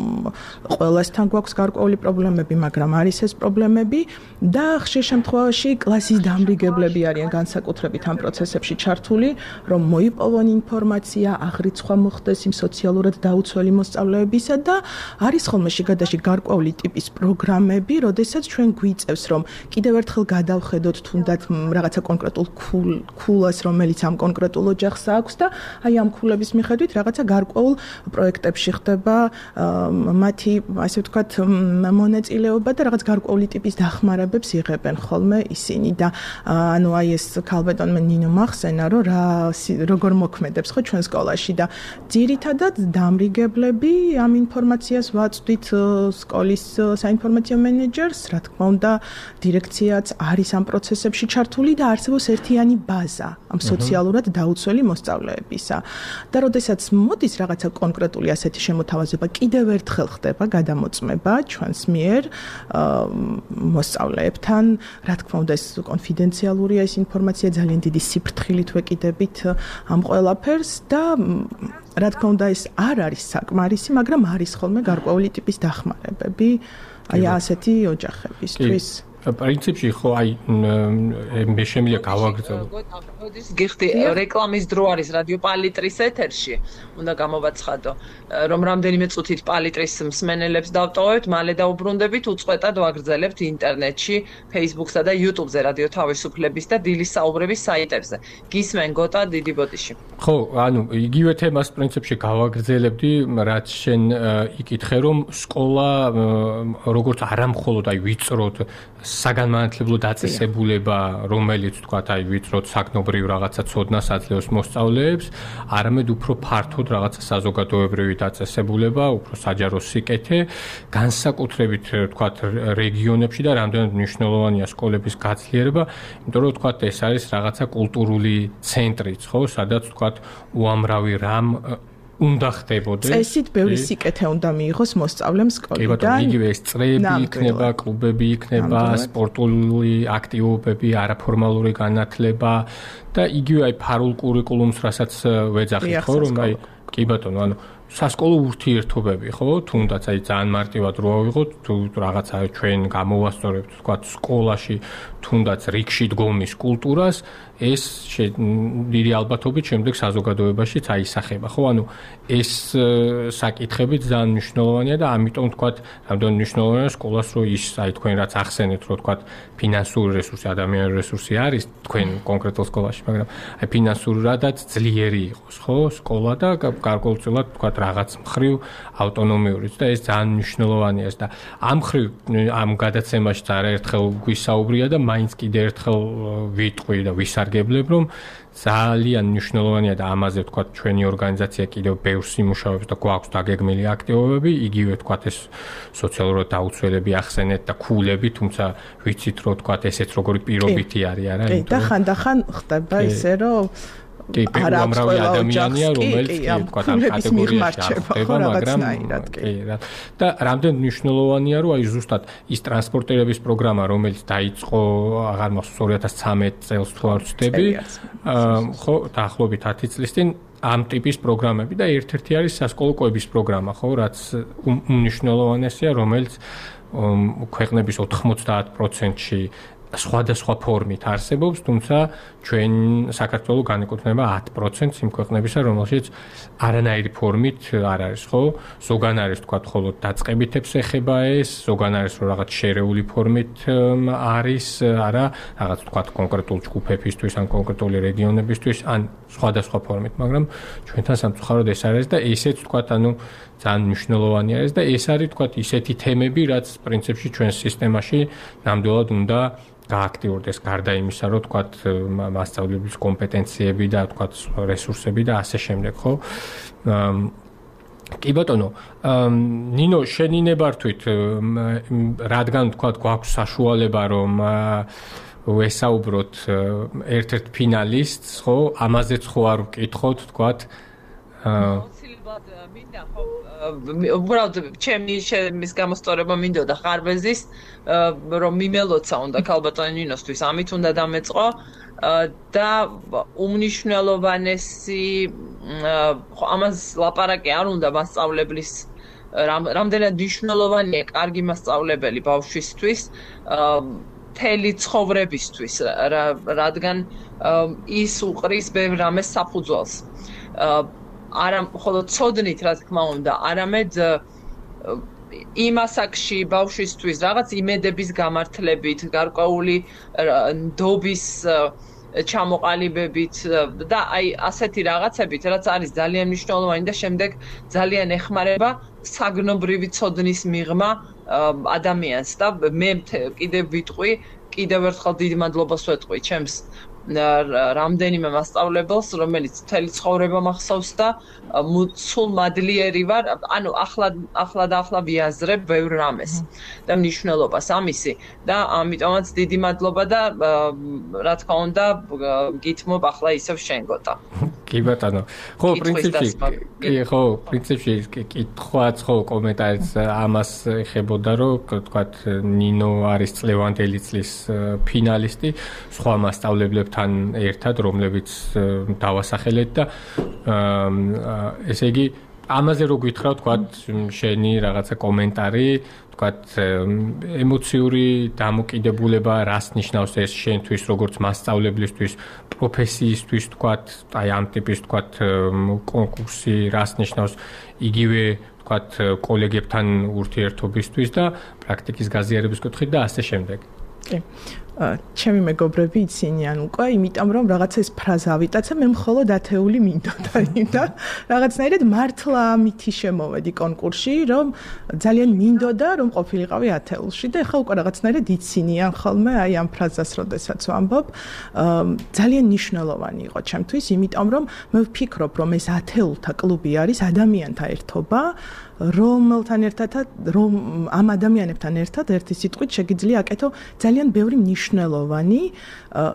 ყველასთან გვაქვს გარკვეული პრობლემები, მაგრამ არის ეს პრობლემები და ხშირ შემთხვევაში კლასის დამრიგებლები არიან განსაკუთრებით ამ პროცესებში ჩართული, რომ მოიპოვონ ინფორმაცია, აღრიცხვა მოხდეს იმ სოციალურად დაუცველი მოსწავლეებისა და არის ხოლმე შიგადაში გარკვეული ტიპის პროგრამები, როდესაც ჩვენ გვიწევს რომ კიდევ ერთხელ გადავხედოთ თუნდაც რაღაცა კონკრეტულ ქულას, რომელიც ამ კონკრეტულ ოჯახს აქვს და აი ამ ქულების მიხედვით რაღაცა გარკვეულ პროექტებში ხდება მათი ასე ვთქვათ მონაწილეობა და რაღაც გარკვეული ტიპის დახმარებებს იღებენ ხოლმე ისინი და ანუ აი ეს ქალბატონმა ნინო მახსენა რომ როგორ მოქმედებს ხო ჩვენ სკოლაში და ძირითადად დამრიგებლები ამ ინფორმაციას ვაწვდით სკოლის საინფორმაციო მენეჯერს, რა თქმა უნდა, დირექციაც არის ამ პროცესებში ჩართული და არსებობს ერთიანი ბაზა ამ სოციალურად დაუცველი მოსწავლეებისა. და როდესაც მოდის რაღაცა კონკრეტული ასეთი შემოთავაზება, კიდევ ერთხელ ხდება გადამოწმება ჩვენს მიერ მოსწავლეებთან, რა თქმა უნდა, ეს კონფიდენციალურია ეს ინფორმაცია, ძალიან დიდი სიფრთხილით ვეკიდებით ამ ყველაფერს და რა თქმა უნდა ეს არ არის საკმარისი, მაგრამ არის ხოლმე გარკვეული ტიპის დახმარებები აი ასეთი ოჯახებისთვის. პრინციპში ხო აი მე შემიძლია გავაგრძელო. მოდის გიხდი რეკლამის დრო არის რადიო პალიტრის ეთერში. უნდა გამოვაცხადო, რომ რამდენიმე წუთით პალიტრის მსმენელებს დავტოვებთ, მალე დაუბრუნდებით, უწყვეტად ვაგრძელებთ ინტერნეტში, Facebook-სა და YouTube-ზე რადიო თავისუფლების და დილის საუბრების საიტებზე. გისმენ გოტა დიდი ბოდიში. ხო, ანუ იგივე თემას პრინციპში გავაგრძელებდი, რაც შენ იკითხე, რომ სკოლა როგორც არამხოლოდ აი ვიწროდ საგანმანათლებლო დაწესებულება, რომელიც თქვათ აი ვიწროდ საგნობრივ რაღაცა ცოდნას აძლევს მოსწავლეებს, არამედ უფრო ფართოდ რაღაცა საზოგადოებრივი დაწესებულება, უფრო საჯარო სიკეთე, განსაკუთრებით თქვათ რეგიონებში და რამდენად მნიშვნელოვანია სკოლების გაძლიერება, იმიტომ რომ თქვათ ეს არის რაღაცა კულტურული ცენტრიც, ხო, სადაც თქვათ უამრავი რამ უნდა ხდებოდეს. წესით ბევრი სიკეთე უნდა მიიღოს მოსწავლემ სკოლიდან. კი ბატონო, იგივე ეს წრეები იქნება, კლუბები იქნება, სპორტული აქტივობები, არაფორმალური განათლება და იგივე აი ფარულ კურიკულუმს, რასაც ვეძახით, ხო, რომ აი კი ბატონო, ანუ სასკოლო ურთიერთობები, ხო, თუნდაც აი ძალიან მარტივად რო ავიღოთ, თუ რაღაცა ჩვენ გამოვასწორებთ, თქვა სკოლაში, თუნდაც რიგში დგომის კულტურას, ეს დიდი ალბათობით შემდეგ საზოგადოებაშიც აისახება, ხო, ანუ ეს საკითხები ძალიან მნიშვნელოვანია და ამიტომ თქვა, რამდენ მნიშვნელოვანია სკოლას რო ის, აი თქვენ რაც ახსენეთ, რო თქვა ფინანსური რესურსი, ადამიანური რესურსი არის თქვენ კონკრეტულ სკოლაში, მაგრამ აი ფინანსურადაც ძლიერი იყოს, ხო, სკოლა და გარკვეულწილად თქვა რაღაც მხრივ ავტონომიურიც და ეს ძალიან მნიშვნელოვანია და ამ მხრივ ამ გადაცემაშიც არაერთხელ გვისაუბრია და მაინც კიდე ერთხელ ვიტყვი და ვისარგებლებ, რომ ძალიან მნიშვნელოვანია და ამაზე ვთქვათ ჩვენი ორგანიზაცია კიდევ ბევრს იმუშავებს და გვაქვს დაგეგმილი აქტივობები, იგივე ვთქვათ ეს სოციალურად დაუცველები ახსენეთ და ქულები, თუმცა ვიცით რომ ვთქვათ ესეც როგორი პირობითი არის, არა? და ხანდახან ხდება ისე რომ უამრავი ადამიანია, რომელიც თქვათ ამ კატეგორიაში ხდება, მაგრამ და რამდენ მნიშვნელოვანია, რომ აი ზუსტად ის ტრანსპორტირების პროგრამა, რომელიც დაიწყო აღარ მახსოვს 2013 წელს თუ არ ვცდები, ხო, დაახლოებით 10 წლის წინ ამ ტიპის პროგრამები და ერთ-ერთი არის სასკოლო კვების პროგრამა, ხო, რაც უმნიშვნელოვანესია, რომელიც ქვეყნების 90%-ში სხვადასხვა ფორმით არსებობს, თუმცა ჩვენ საქართველო განეკუთვნება 10% იმ ქვეყნებისა, რომელშიც არანაირი ფორმით არ არის, ხო? ზოგან არის თქვა მხოლოდ დაწყებითებს ეხება ეს, ზოგან არის რომ რაღაც შერეული ფორმით არის, არა, რაღაც თქვა კონკრეტულ ჯგუფებისთვის ან კონკრეტული რეგიონებისთვის, ან სხვადასხვა ფორმით, მაგრამ ჩვენთან სამწუხაროდ ეს არის და ესეც თქვა, ანუ ძალიან მნიშვნელოვანი არის და ეს არის თქვა ისეთი თემები, რაც პრინციპში ჩვენ სისტემაში ნამდვილად უნდა გააქტიურდეს გარდა იმისა, რომ თქვათ მასწავლებლის კომპეტენციები და თქვათ რესურსები და ასე შემდეგ, ხო? კი ბატონო, ნინო, შენი ნებართვით, რადგან თქვათ გვაქვს საშუალება, რომ ვესაუბროთ ერთ-ერთ ფინალისტს, ხო? ამაზეც ხო არ ვკითხოთ, თქვათ მინდა ხო უბრალოდ ჩემის გამოსწორება მინდოდა ხარვეზის რომ მიმელოცა უნდა ქალბატონი ნინოსთვის ამით უნდა დამეწყო და უმნიშვნელოვანესი ამას ლაპარაკი არ უნდა მასწავლებლის რამდენად მნიშვნელოვანია კარგი მასწავლებელი ბავშვისთვის მთელი ცხოვრებისთვის რადგან ის უყრის ბევრ რამეს საფუძველს არა მხოლოდ ცოდნით, რა თქმა უნდა, არამედ იმ ასაკში ბავშვისთვის რაღაც იმედების გამართლებით, გარკვეული ნდობის ჩამოყალიბებით და აი ასეთი რაღაცებით, რაც არის ძალიან მნიშვნელოვანი და შემდეგ ძალიან ეხმარება საგნობრივი ცოდნის მიღმა ადამიანს და მე კიდევ ვიტყვი, კიდევ ერთხელ დიდი მადლობას ვეტყვი ჩემს რამდენიმე მასწავლებელს, რომელიც მთელი ცხოვრება მახსოვს და სულ მადლიერი ვარ, ანუ ახლა ვიაზრებ ბევრ რამეს და მნიშვნელობას ამისი და ამიტომაც დიდი მადლობა და რა თქმა უნდა გითმობ ახლა ისევ შენ გოტა. კი ბატონო. ხო, პრინციპში კითხვაც ხო კომენტარიც ამას ეხებოდა, რომ თქვათ ნინო არის წლევანდელი წლის ფინალისტი, სხვა მასწავლებლებთან ერთად, რომლებიც დავასახელეთ და ესე იგი ამაზე რო გითხრა თქვათ შენი რაღაცა კომენტარი, თქვათ ემოციური დამოკიდებულება რას ნიშნავს ეს შენთვის როგორც მასწავლებლისთვის, პროფესიისთვის თქვათ, აი ამ ტიპის თქვათ კონკურსი რას ნიშნავს იგივე თქვათ კოლეგებთან ურთიერთობისთვის და პრაქტიკის გაზიარების კუთხით და ასე შემდეგ. კი. ჩემი მეგობრები იცინიან უკვე, იმიტომ რომ რაღაცა ეს ფრაზა ავიტაცა, მე მხოლოდ ათეული მინდოდა და რაღაცნაირად მართლა ამითი შემოვედი კონკურსში, რომ ძალიან მინდოდა რომ ყოფილიყავი ათეულში და ეხლა უკვე რაღაცნაირად იცინიან ხოლმე აი ამ ფრაზას, როდესაც ვამბობ, ძალიან მნიშვნელოვანი იყო ჩემთვის, იმიტომ რომ მე ვფიქრობ, რომ ეს ათეულთა კლუბი არის ადამიანთა ერთობა, რომელთან ერთად რომ ამ ადამიანებთან ერთად ერთი სიტყვით შეგიძლია აკეთო ძალიან ბევრი მნიშვნელოვანი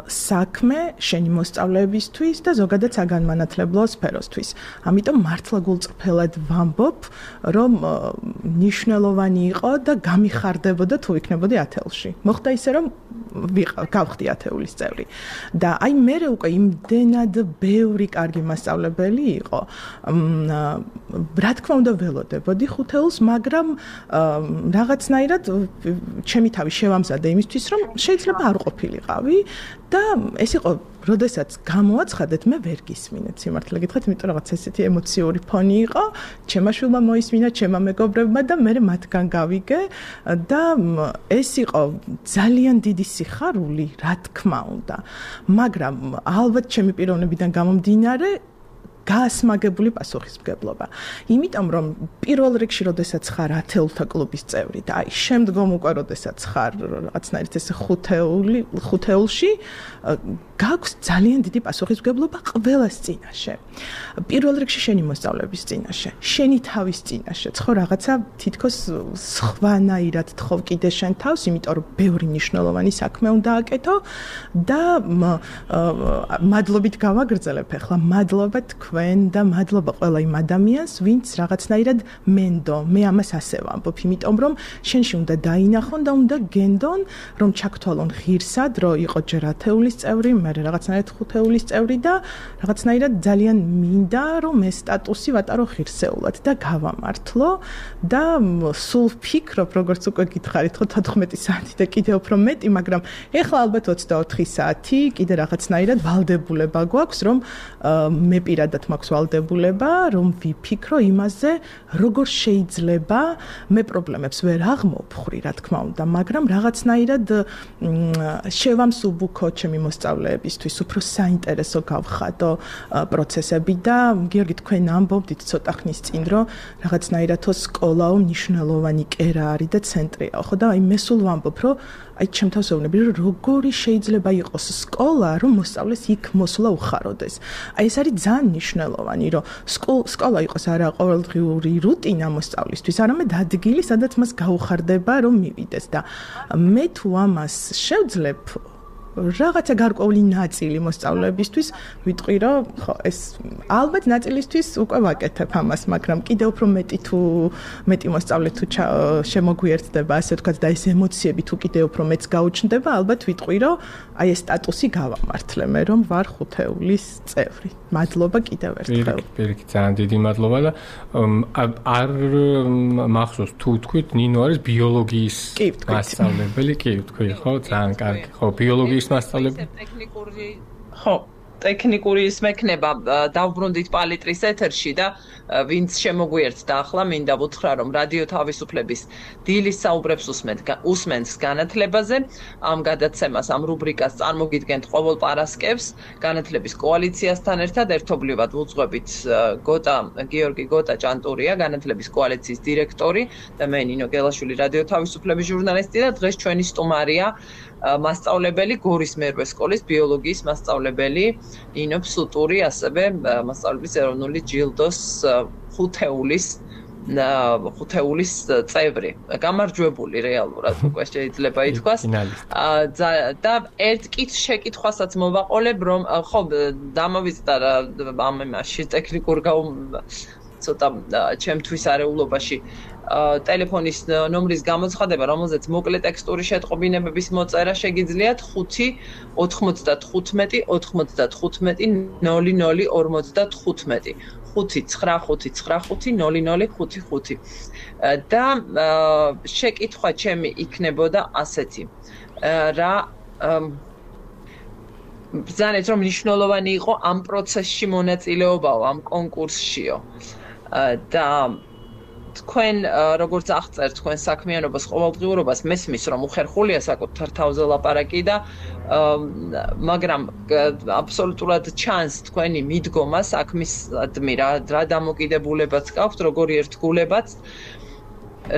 საქმე შენი მოსწავლეებისთვის და ზოგადად საგანმანათლებლო სფეროსთვის. ამიტომ მართლა გულწრფელად ვამბობ, რომ მნიშვნელოვანი იყო და გამიხარდებოდა თუ იქნებოდი ათეულში. მოხდა ისე, რომ გავხდი ათეულის წევრი. და აი მე უკვე იმდენად ბევრი კარგი მასწავლებელი იყო. რა თქმა უნდა ველოდებოდი ხუთეულს, მაგრამ რაღაცნაირად ჩემი თავი შევამზადე იმისთვის, რომ შეიძლება არ ყოფილიყავი და ეს იყო, როდესაც გამოაცხადეთ, მე ვერ გისმინეთ სიმართლე გითხრათ, იმიტომ რაღაც ესეთი ემოციური ფონი იყო, ჩემმა შვილმა მოისმინა, ჩემმა მეგობრებმა და მე მათგან გავიგე და ეს იყო ძალიან დიდი სიხარული, რა თქმა უნდა. მაგრამ ალბათ ჩემი პიროვნებიდან გამომდინარე გაასმაგებული პასუხისმგებლობა. იმიტომ რომ პირველ რიგში, როდესაც ხარ ათეულთა კლუბის წევრი და აი შემდგომ უკვე როდესაც ხარ რაღაცნაირად ეს ხუთეულში, გაქვს ძალიან დიდი პასუხისმგებლობა ყველას წინაშე. პირველ რიგში შენი მოსწავლეების წინაშე, შენი თავის წინაშე. ხო რაღაცა თითქოს სხვანაირად თხოვ კიდე შენ თავს, იმიტომ რომ ბევრი მნიშვნელოვანი საქმე უნდა აკეთო და მადლობით გავაგრძელებ ახლა, მადლობა თქვენ და მადლობა ყველა იმ ადამიანს, ვინც რაღაცნაირად მენდო. მე ამას ასე ვამბობ, იმიტომ რომ შენში უნდა დაინახონ და უნდა გენდონ, რომ ჩაგთვალონ ღირსად, რომ იყო ჯერ ათეულის წევრი, მე რაღაცნაირად ხუთეულის წევრი და რაღაცნაირად ძალიან მინდა, რომ ეს სტატუსი ვატარო ღირსეულად და გავამართლო და სულ ვფიქრობ, როგორც უკვე გითხარით, 14 საათი და კიდევ უფრო მეტი, მაგრამ ეხლა ალბათ 24 საათი კიდე რაღაცნაირად ვალდებულება გვაქვს, რომ მე პირადად მაქვს ვალდებულება, რომ ვიფიქრო იმაზე, როგორ შეიძლება მე პრობლემებს ვერ აღმოვხვრი, რა თქმა უნდა, მაგრამ რაღაცნაირად შევამსუბუქო ჩემი მოსწავლეებისთვის, უფრო საინტერესო გავხადო პროცესები და გიორგი თქვენ ამბობდით ცოტა ხნის წინ, რომ რაღაცნაირად სკოლაო მნიშვნელოვანი კერა არის და ცენტრია, ხო და აი მე სულ ვამბობ, რომ აი ჩემ თავს ვეუბნები, რომ როგორი შეიძლება იყოს სკოლა, რომ მოსწავლეს იქ მოსვლა უხაროდეს. აი ეს არის ძალიან მნიშვნელოვანი, რომ სკოლა იყოს არა ყოველდღიური რუტინა მოსწავლისთვის, არამედ ადგილი, სადაც მას გაუხარდება, რომ მივიდეს და მე თუ ამას შევძლებ რაღაცა გარკვეული ნაწილი მოსწავლეებისთვის ვიტყვი, რომ ხო ეს ალბათ ნაწილისთვის უკვე ვაკეთებ ამას, მაგრამ კიდევ უფრო მეტი მოსწავლე თუ შემოგვიერთდება, ასე ვთქვათ, და ეს ემოციები თუ კიდევ უფრო მეც გაუჩნდება, ალბათ ვიტყვი, რომ აი ეს სტატუსი გავამართლე მე, რომ ვარ ხუთეულის წევრი. მადლობა კიდევ ერთხელ. პირიქით, ძალიან დიდი მადლობა და არ მახსოვს თუ თქვით, ნინო არის ბიოლოგიის მასწავლებელი, კი ვთქვი, ხო, ძალიან კარგი. ხო, ბიოლოგიის მასწავლებელი. ტექნიკური ხო ტექნიკური ის მექნება დავბრუნდით პალიტრის ეთერში და ვინც შემოგვიერთდა ახლა მინდა ვუთხრა რომ რადიო თავისუფლების დილის საუბრებს უსმენს განათლებაზე ამ გადაცემას ამ რუბრიკას წარმოგიდგენთ ყოველ პარასკევს განათლების კოალიციასთან ერთად ერთობლივად ვუძღვებით გიორგი გოტა ჭანტურია განათლების კოალიციის დირექტორი და მე ნინო გელაშვილი რადიო თავისუფლების ჟურნალისტი და დღეს ჩვენი სტუმარია მასწავლებელი გორის მერვე სკოლის ბიოლოგიის მასწავლებელი ნინო ფსუტური ასევე მასწავლებლის ეროვნული ჯილდოს ხუთეულის წევრი გამარჯვებული რეალურად უკვე შეიძლება ითქვას და ერთ შეკითხვასაც მოვაყოლებ რომ ხო დამოვიწყდა ამ იმაში ტექნიკურ ცოტა ჩემთვის არეულობაში ტელეფონის ნომრის გამოცხადება, რომელზეც მოკლე ტექსტური შეტყობინებების მოწერა შეგიძლიათ 5 95 95 0055 და შეკითხვა ჩემი იქნებოდა ასეთი რა ბრძანეთ რომ მნიშვნელოვანი იყო ამ პროცესში მონაწილეობაო ამ კონკურსშიო და თქვენ როგორც აღწერთ თქვენ საქმიანობას ყოველდღიურობას მესმის რომ უხერხულია საკუთარ თავზე ლაპარაკი და მაგრამ აბსოლუტურად ჩანს თქვენი მიდგომა საქმისადმი რა დამოკიდებულებაც გაქვთ როგორი ერთგულებაც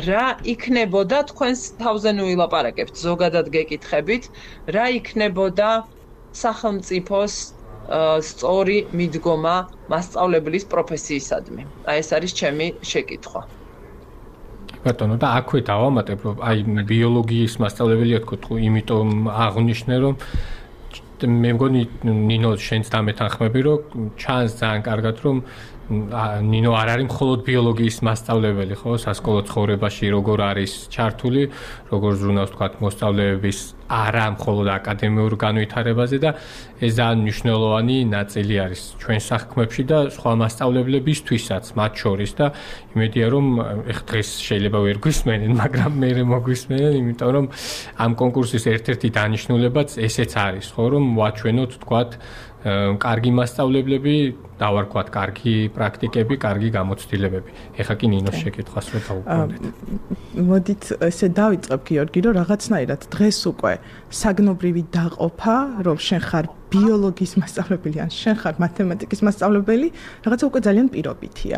რა იქნებოდა თქვენს თავზე ნუ ილაპარაკებთ ზოგადად გეკითხებით რა იქნებოდა სახელმწიფოს სწორი მიდგომა მასწავლებლის პროფესიისადმი აი ეს არის ჩემი შეკითხვა ბატონო და აქვე დავამატებ რომ აი ბიოლოგიის მასწავლებელია თქო იმიტომ აღნიშნე რომ მე მგონი ნინო შენს დამეთანხმები რომ ჩანს ძალიან კარგად რომ ნინო არ არის მხოლოდ ბიოლოგიის მასწავლებელი ხო სასკოლო ცხოვრებაში როგორ არის ჩართული როგორ ზრუნავს თქვა მოსწავლეების არა მხოლოდ აკადემიურ განვითარებაზე და ეს ძალიან მნიშვნელოვანი ნაწილი არის ჩვენ საქმეებში და სხვა მასწავლებლებისთვისაც მათ შორის და იმედია რომ ეხ დღეს შეიძლება ვერ გვისმენენ მაგრამ მე მოგვისმენენ იმიტომ რომ ამ კონკურსის ერთ-ერთი დანიშნულებაც ესეც არის ხო რომ ვაჩვენოთ თქვა კარგი მასწავლებლები და ვარქვათ კარგი პრაქტიკები, კარგი გამოცდილებები. ეხლა კი ნინოს შეკითხვას რო დავუკვირდეთ. მოდით ესე დავიწყებ გიორგი, რომ რაღაცნაირად დღეს უკვე საგნობრივი დაყოფა, რომ შენ ხარ ბიოლოგიის მასწავლებელი ან შენ ხარ მათემატიკის მასწავლებელი, რაღაცა უკვე ძალიან პირობითია.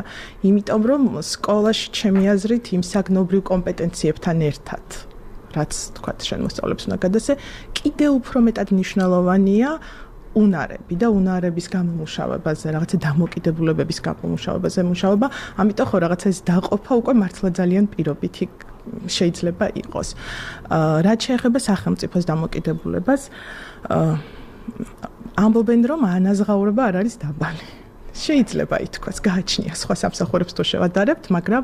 იმიტომ რომ სკოლაში ჩემი აზრით იმ საგნობრივ კომპეტენციებთან ერთად, რაც თქვა შენ მოსწავლებს უნდა გადასე, კიდევ უფრო მეტად მნიშვნელოვანია უნარები და უნარების გამომუშავებაზე, რაღაცა დამოკიდებულებების გამომუშავებაზე მუშაობა, ამიტომ ხო რაღაცა ეს დაყოფა უკვე მართლა ძალიან პირობითი შეიძლება იყოს. რაც შეეხება სახელმწიფოს დამოკიდებულებას, ამბობენ რომ ანაზღაურება არ არის დაბალი. შეიძლება ითქვას, გააჩნია სხვა სამსახურებს თუ შევადარებთ, მაგრამ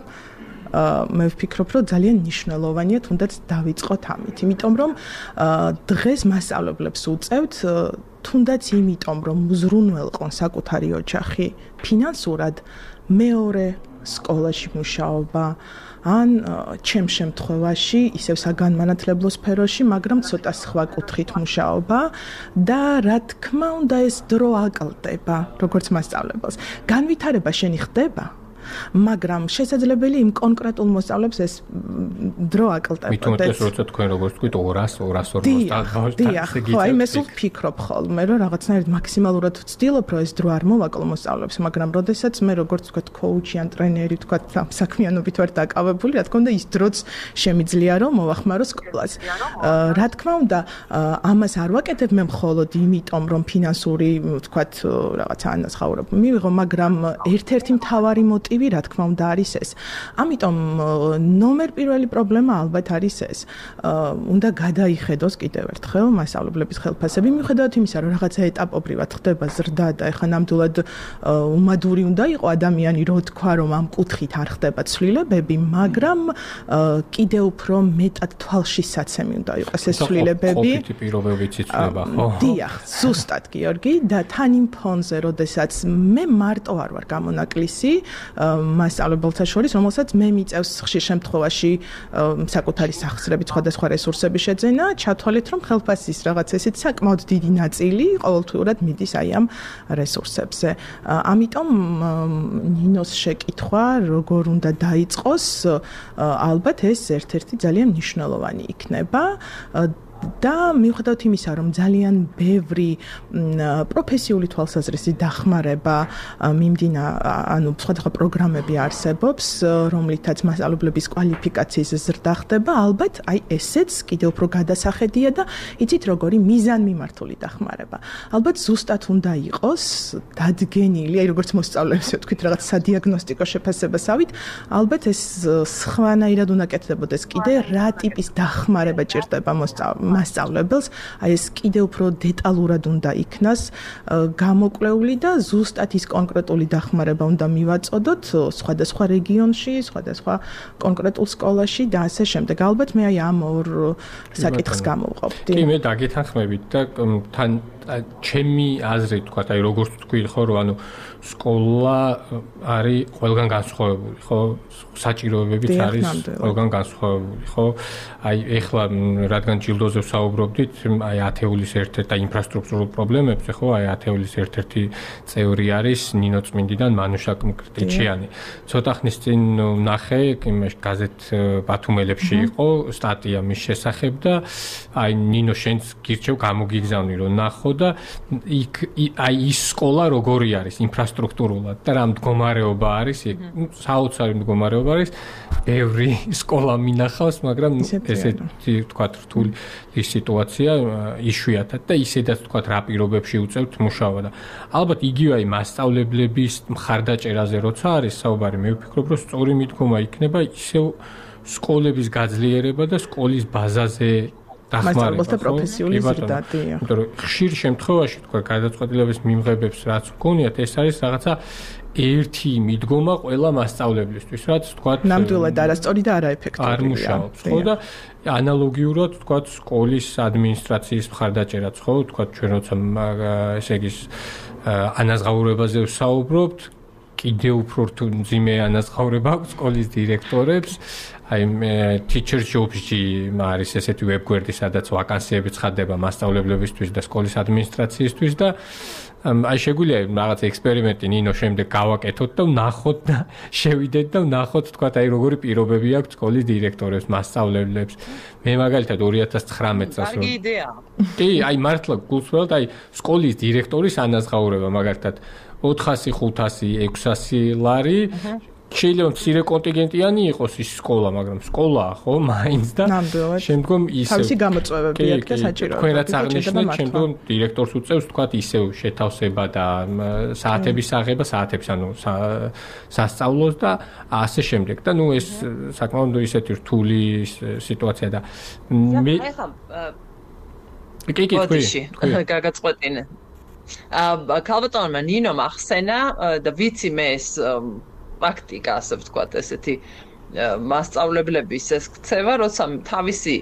მე ვფიქრობ, რომ ძალიან მნიშვნელოვანია თუნდაც დავიწყოთ ამით, იმიტომ რომ დღეს მასწავლებლებს უწევთ თუნდაც იმიტომ, რომ უზრუნველყონ საკუთარი ოჯახი ფინანსურად მეორე სკოლაში მუშაობა ან ჩემ შემთხვევაში ისევ საგანმანათლებლო სფეროში, მაგრამ ცოტა სხვა კუთხით მუშაობა და რა თქმა უნდა ეს დრო აკლდება, როგორც მასწავლებელს. განვითარება შენი ხდება მაგრამ შესაძლებელი იმ კონკრეტულ მოსწავლებს ეს დრო აკლდებოდეს. მithumetes როცა თქვენ როგორც თქვით 200-240 დაღავთ. ხო, აი მე სულ ვფიქრობ ხოლმე, რომ რაღაცნაირად მაქსიმალურად ვცდილობ, რომ ეს დრო არ მოვაკლო მოსწავლებს, მაგრამ როდესაც მე როგორც თქვა კოუჩი ან ტრენერი თქვა საქმიანობით ვარ დაკავებული, რა თქმა უნდა ის დროც შემიძლია რომ მოვახმარო სკოლას. რა თქმა უნდა, ამას არ ვაკეთებ მე მხოლოდ იმიტომ, რომ ფინანსური თქვა რაღაცა ანაზღაურება მივიღო, მაგრამ ერთ-ერთი მთავარი მოტივი რა თქმა უნდა არის ეს. ამიტომ ნომერ პირველი პრობლემა ალბათ არის ეს. უნდა გადაიხედოს კიდევ ერთხელ მასწავლებლების ხელფასები, მიუხედავად იმისა, რომ რაღაცა ეტაპობრივად ხდება ზრდა და ეხლა ნამდვილად უმადური უნდა იყო ადამიანი, რო თქვა, რომ ამ კუთხით არ ხდება ცვლილებები, მაგრამ კიდევ უფრო მეტად თვალშისაცემი უნდა იყოს ეს ცვლილებები. ყოფითი პირობებიც იცვლება, ხო? დიახ, ზუსტად გიორგი და თან იმ ფონზე, როდესაც მე მარტო არ ვარ გამონაკლისი, მასწავლებელთა შორის, რომელსაც მე მიწევს ხშირ შემთხვევაში საკუთარი სახსრებით სხვადასხვა რესურსები შეძენა, ჩათვალეთ, რომ ხელფასის რაღაც ესეთ საკმაოდ დიდი ნაწილი ყოველთვიურად მიდის აი ამ რესურსებზე. ამიტომ ნინოს შეკითხვა, როგორ უნდა დაიწყოს, ალბათ ეს ერთ-ერთი ძალიან მნიშვნელოვანი იქნება. და მიუხედავად იმისა, რომ ძალიან ბევრი პროფესიული თვალსაზრისით დახმარება ანუ სხვადასხვა პროგრამები არსებობს, რომლითაც მასწავლებლების კვალიფიკაციის ზრდა ხდება, ალბათ აი ესეც კიდევ უფრო გადასახედია და იცით როგორი მიზანმიმართული დახმარება. ალბათ ზუსტად უნდა იყოს დადგენილი, აი როგორც მოსწავლეებს ვთქვით, რაღაც სადიაგნოსტიკო შეფასებასავით, ალბათ ეს სხვანაირად უნდა კეთდებოდეს კიდე რა ტიპის დახმარება ჭირდება მასწავლებელს, აი ეს კიდევ უფრო დეტალურად უნდა იქნას გამოკვლეული და ზუსტად ის კონკრეტული დახმარება უნდა მივაწოდოთ სხვადასხვა რეგიონში, სხვადასხვა კონკრეტულ სკოლაში და ასე შემდეგ. ალბათ მე აი ამ ორ საკითხს გამოვყოფდი. კი, მე დაგეთანხმებით და თან ჩემი აზრით თქვა, აი როგორც თქვი ხო, რომ ანუ სკოლა არის ყველგან განსხვავებული, ხო? საჭიროებებიც არის ყველგან განსხვავებული, ხო? აი ეხლა რადგან ჯილდოზე ვსაუბრობდით, აი ათეულის ერთ-ერთი და ინფრასტრუქტურულ პრობლემებზე, ხო? აი ათეულის ერთ-ერთი წევრი არის ნინო წმინდიდან მანუშა კრტიჩიანი. ცოტა ხნის წინ ნახე იმაში გაზეთ ბათუმელებში იყო სტატია მის შესახებ და აი ნინო შენც გირჩევ გამოგიგზავნი რომ ნახო და იქ აი ის სკოლა როგორი არის ინფრასტრუქტურულად და რა მდგომარეობა არის იქ საოცარი მდგომარეობა არის ბევრი სკოლა მინახავს მაგრამ ესეთი თქვა რთული სიტუაცია იშვიათად და ისედაც თქვა რა პირობებში უწევთ მუშაობა და ალბათ იგივე აი მასწავლებლების მხარდაჭერაზე როცა არის საუბარი მე ვფიქრობ რომ სწორი მიდგომა იქნება ისევ სკოლების გაძლიერება და სკოლის ბაზაზე მასწავლებელთა პროფესიული ზრდადია. იმიტომ რომ ხშირ შემთხვევაში თქვა გადაწყვეტილების მიმღებებს რაც გქონიათ ეს არის რაღაცა ერთი მიდგომა ყველა მასწავლებლისთვის, რაც თქვა ნამდვილად არასწორი და არაეფექტურია. არ მუშაობს, ხო და ანალოგიურად თქვა სკოლის ადმინისტრაციის მხარდაჭერაც, ხო, თქვა ჩვენ როცა ესე იგი ანაზღაურებაზე ვსაუბრობთ, კიდევ უფრო მძიმე ანაზღაურება აქვს სკოლის დირექტორებს. აი teacher jobs-ში არის ესეთი ვებგვერდი, სადაც ვაკანსიები ცხადდება მასწავლებლებისთვის და სკოლის ადმინისტრაციისთვის და აი შეგვიძლია რაღაც ექსპერიმენტი ნინო შემდეგ გავაკეთოთ და ვნახოთ და შევიდეთ და ვნახოთ თქვა აი როგორი პირობები აქვს სკოლის დირექტორებს, მასწავლებლებს. მე მაგალითად 2019 წელს კარგი იდეა. კი, აი მართლა გულსვლა აი სკოლის დირექტორის ანაზღაურება მაგალითად 400, 500, 600 ლარი შეიძლება მცირე კონტინგენტიანი იყოს ის სკოლა, მაგრამ სკოლაა ხო, მაინც და შემდგომ ისევ თავისი გამოწვევები აქვს და საჭიროებები. თქვენ რაც აღნიშნეთ, შემდგომ დირექტორს უწევს თქვა ისევ შეთავსება და საათების აღება, საათებს ანუ სასწავლოს და ასე შემდეგ და ნუ ეს საკმაოდ ისეთი რთული სიტუაცია და მე კი თქვი გაგაწყვეტინე. ქალბატონმა ნინომ ახსენა და ვიცი მე ეს პრაქტიკა, ასე ვთქვათ, ესეთი მასწავლებლების ეს ქცევა, როცა თავისი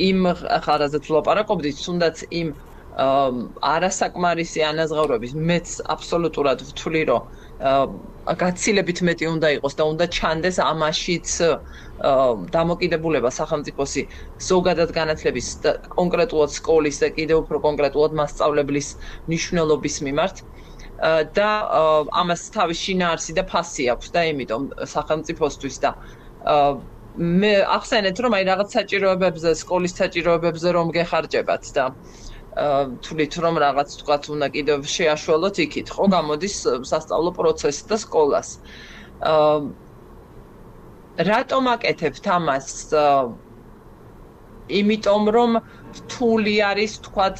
იმ ხარაზეც ვლაპარაკობდით, თუნდაც იმ არასაკმარისი ანაზღაურების მეც აბსოლუტურად ვთვლი, რომ გაცილებით მეტი უნდა იყოს და უნდა ჩანდეს ამაშიც დამოკიდებულება სახელმწიფოსი ზოგადად განათლების და კონკრეტულად სკოლის და კიდევ უფრო კონკრეტულად მასწავლებლის მნიშვნელობის მიმართ. და ამას თავის შინაარსი და ფასი აქვს და იმიტომ სახელმწიფოსთვის და მე ახსენეთ რომ აი რაღაც საჭიროებებზე სკოლის საჭიროებებზე რომ გეხარჯებათ და თვლით რომ რაღაც თქვათ უნდა კიდევ შეაშველოთ იქით ხო გამოდის სასწავლო პროცესი და სკოლას რატომ აკეთებთ ამას იმიტომ რომ რთული არის თქვათ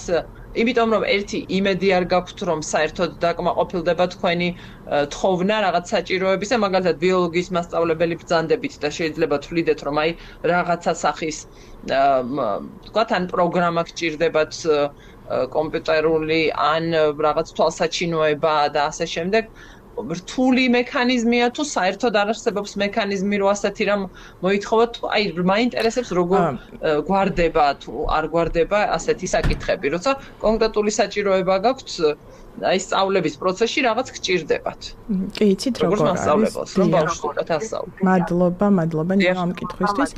იმიტომ რომ ერთი იმედი არ გაქვთ რომ საერთოდ დაკმაყოფილდება თქვენი თხოვნა რაღაც საჭიროებისა მაგალითად ბიოლოგიის მასწავლებელი ბრძანდებით და შეიძლება თვლიდეთ რომ აი რაღაცა სახის თქვათ ან პროგრამა გჭირდებათ კომპიუტერული ან რაღაც თვალსაჩინოება და ასე შემდეგ რთული მექანიზმია თუ საერთოდ არ არსებობს მექანიზმი რომ ასეთი რამ მოითხოვოთ აი მაინტერესებს როგორ გვარდება თუ არ გვარდება ასეთი საკითხები როცა კონკრეტული საჭიროება გაქვთ აი სწავლების პროცესში რაღაც გჭირდებათ. კი, იცით როგორ არის, რომ ბავშვს უკეთ ასწავლო. მადლობა ნინო ამ კითხვისთვის.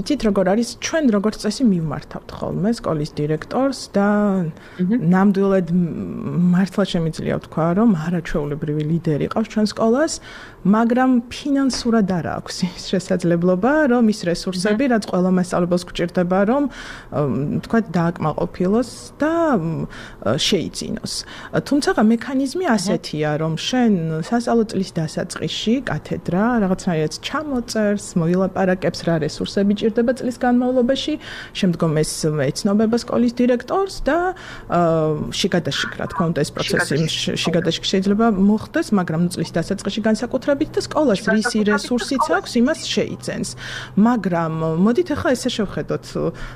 იცით როგორ არის, ჩვენ როგორც წესი მივმართავთ ხოლმე სკოლის დირექტორს და ნამდვილად მართლა შემიძლია ვთქვა, რომ არაჩვეულებრივი ლიდერი ყავს ჩვენ სკოლას, მაგრამ ფინანსურად არ აქვს ის შესაძლებლობა, რომ ის რესურსები, რაც ყველა მასწავლებელს გვჭირდება, რომ თქვა დააკმაყოფილოს და შეიძინოს. თუმცა მექანიზმი ასეთია, რომ შენ სასწავლო წლის დასაწყისში კათედრა რაღაცნაირად ჩამოწერს, მოილაპარაკებს რა რესურსები ჭირდება წლის განმავლობაში, შემდგომ ეს ეცნობება სკოლის დირექტორს და შიგადაშიგ, რა თქმა უნდა, ეს პროცესი შიგადაშიგ შეიძლება მოხდეს, მაგრამ წლის დასაწყისში განსაკუთრებით და სკოლას რისი რესურსიც აქვს, იმას შეიძენს. მაგრამ მოდით ახლა ესე შევხედოთ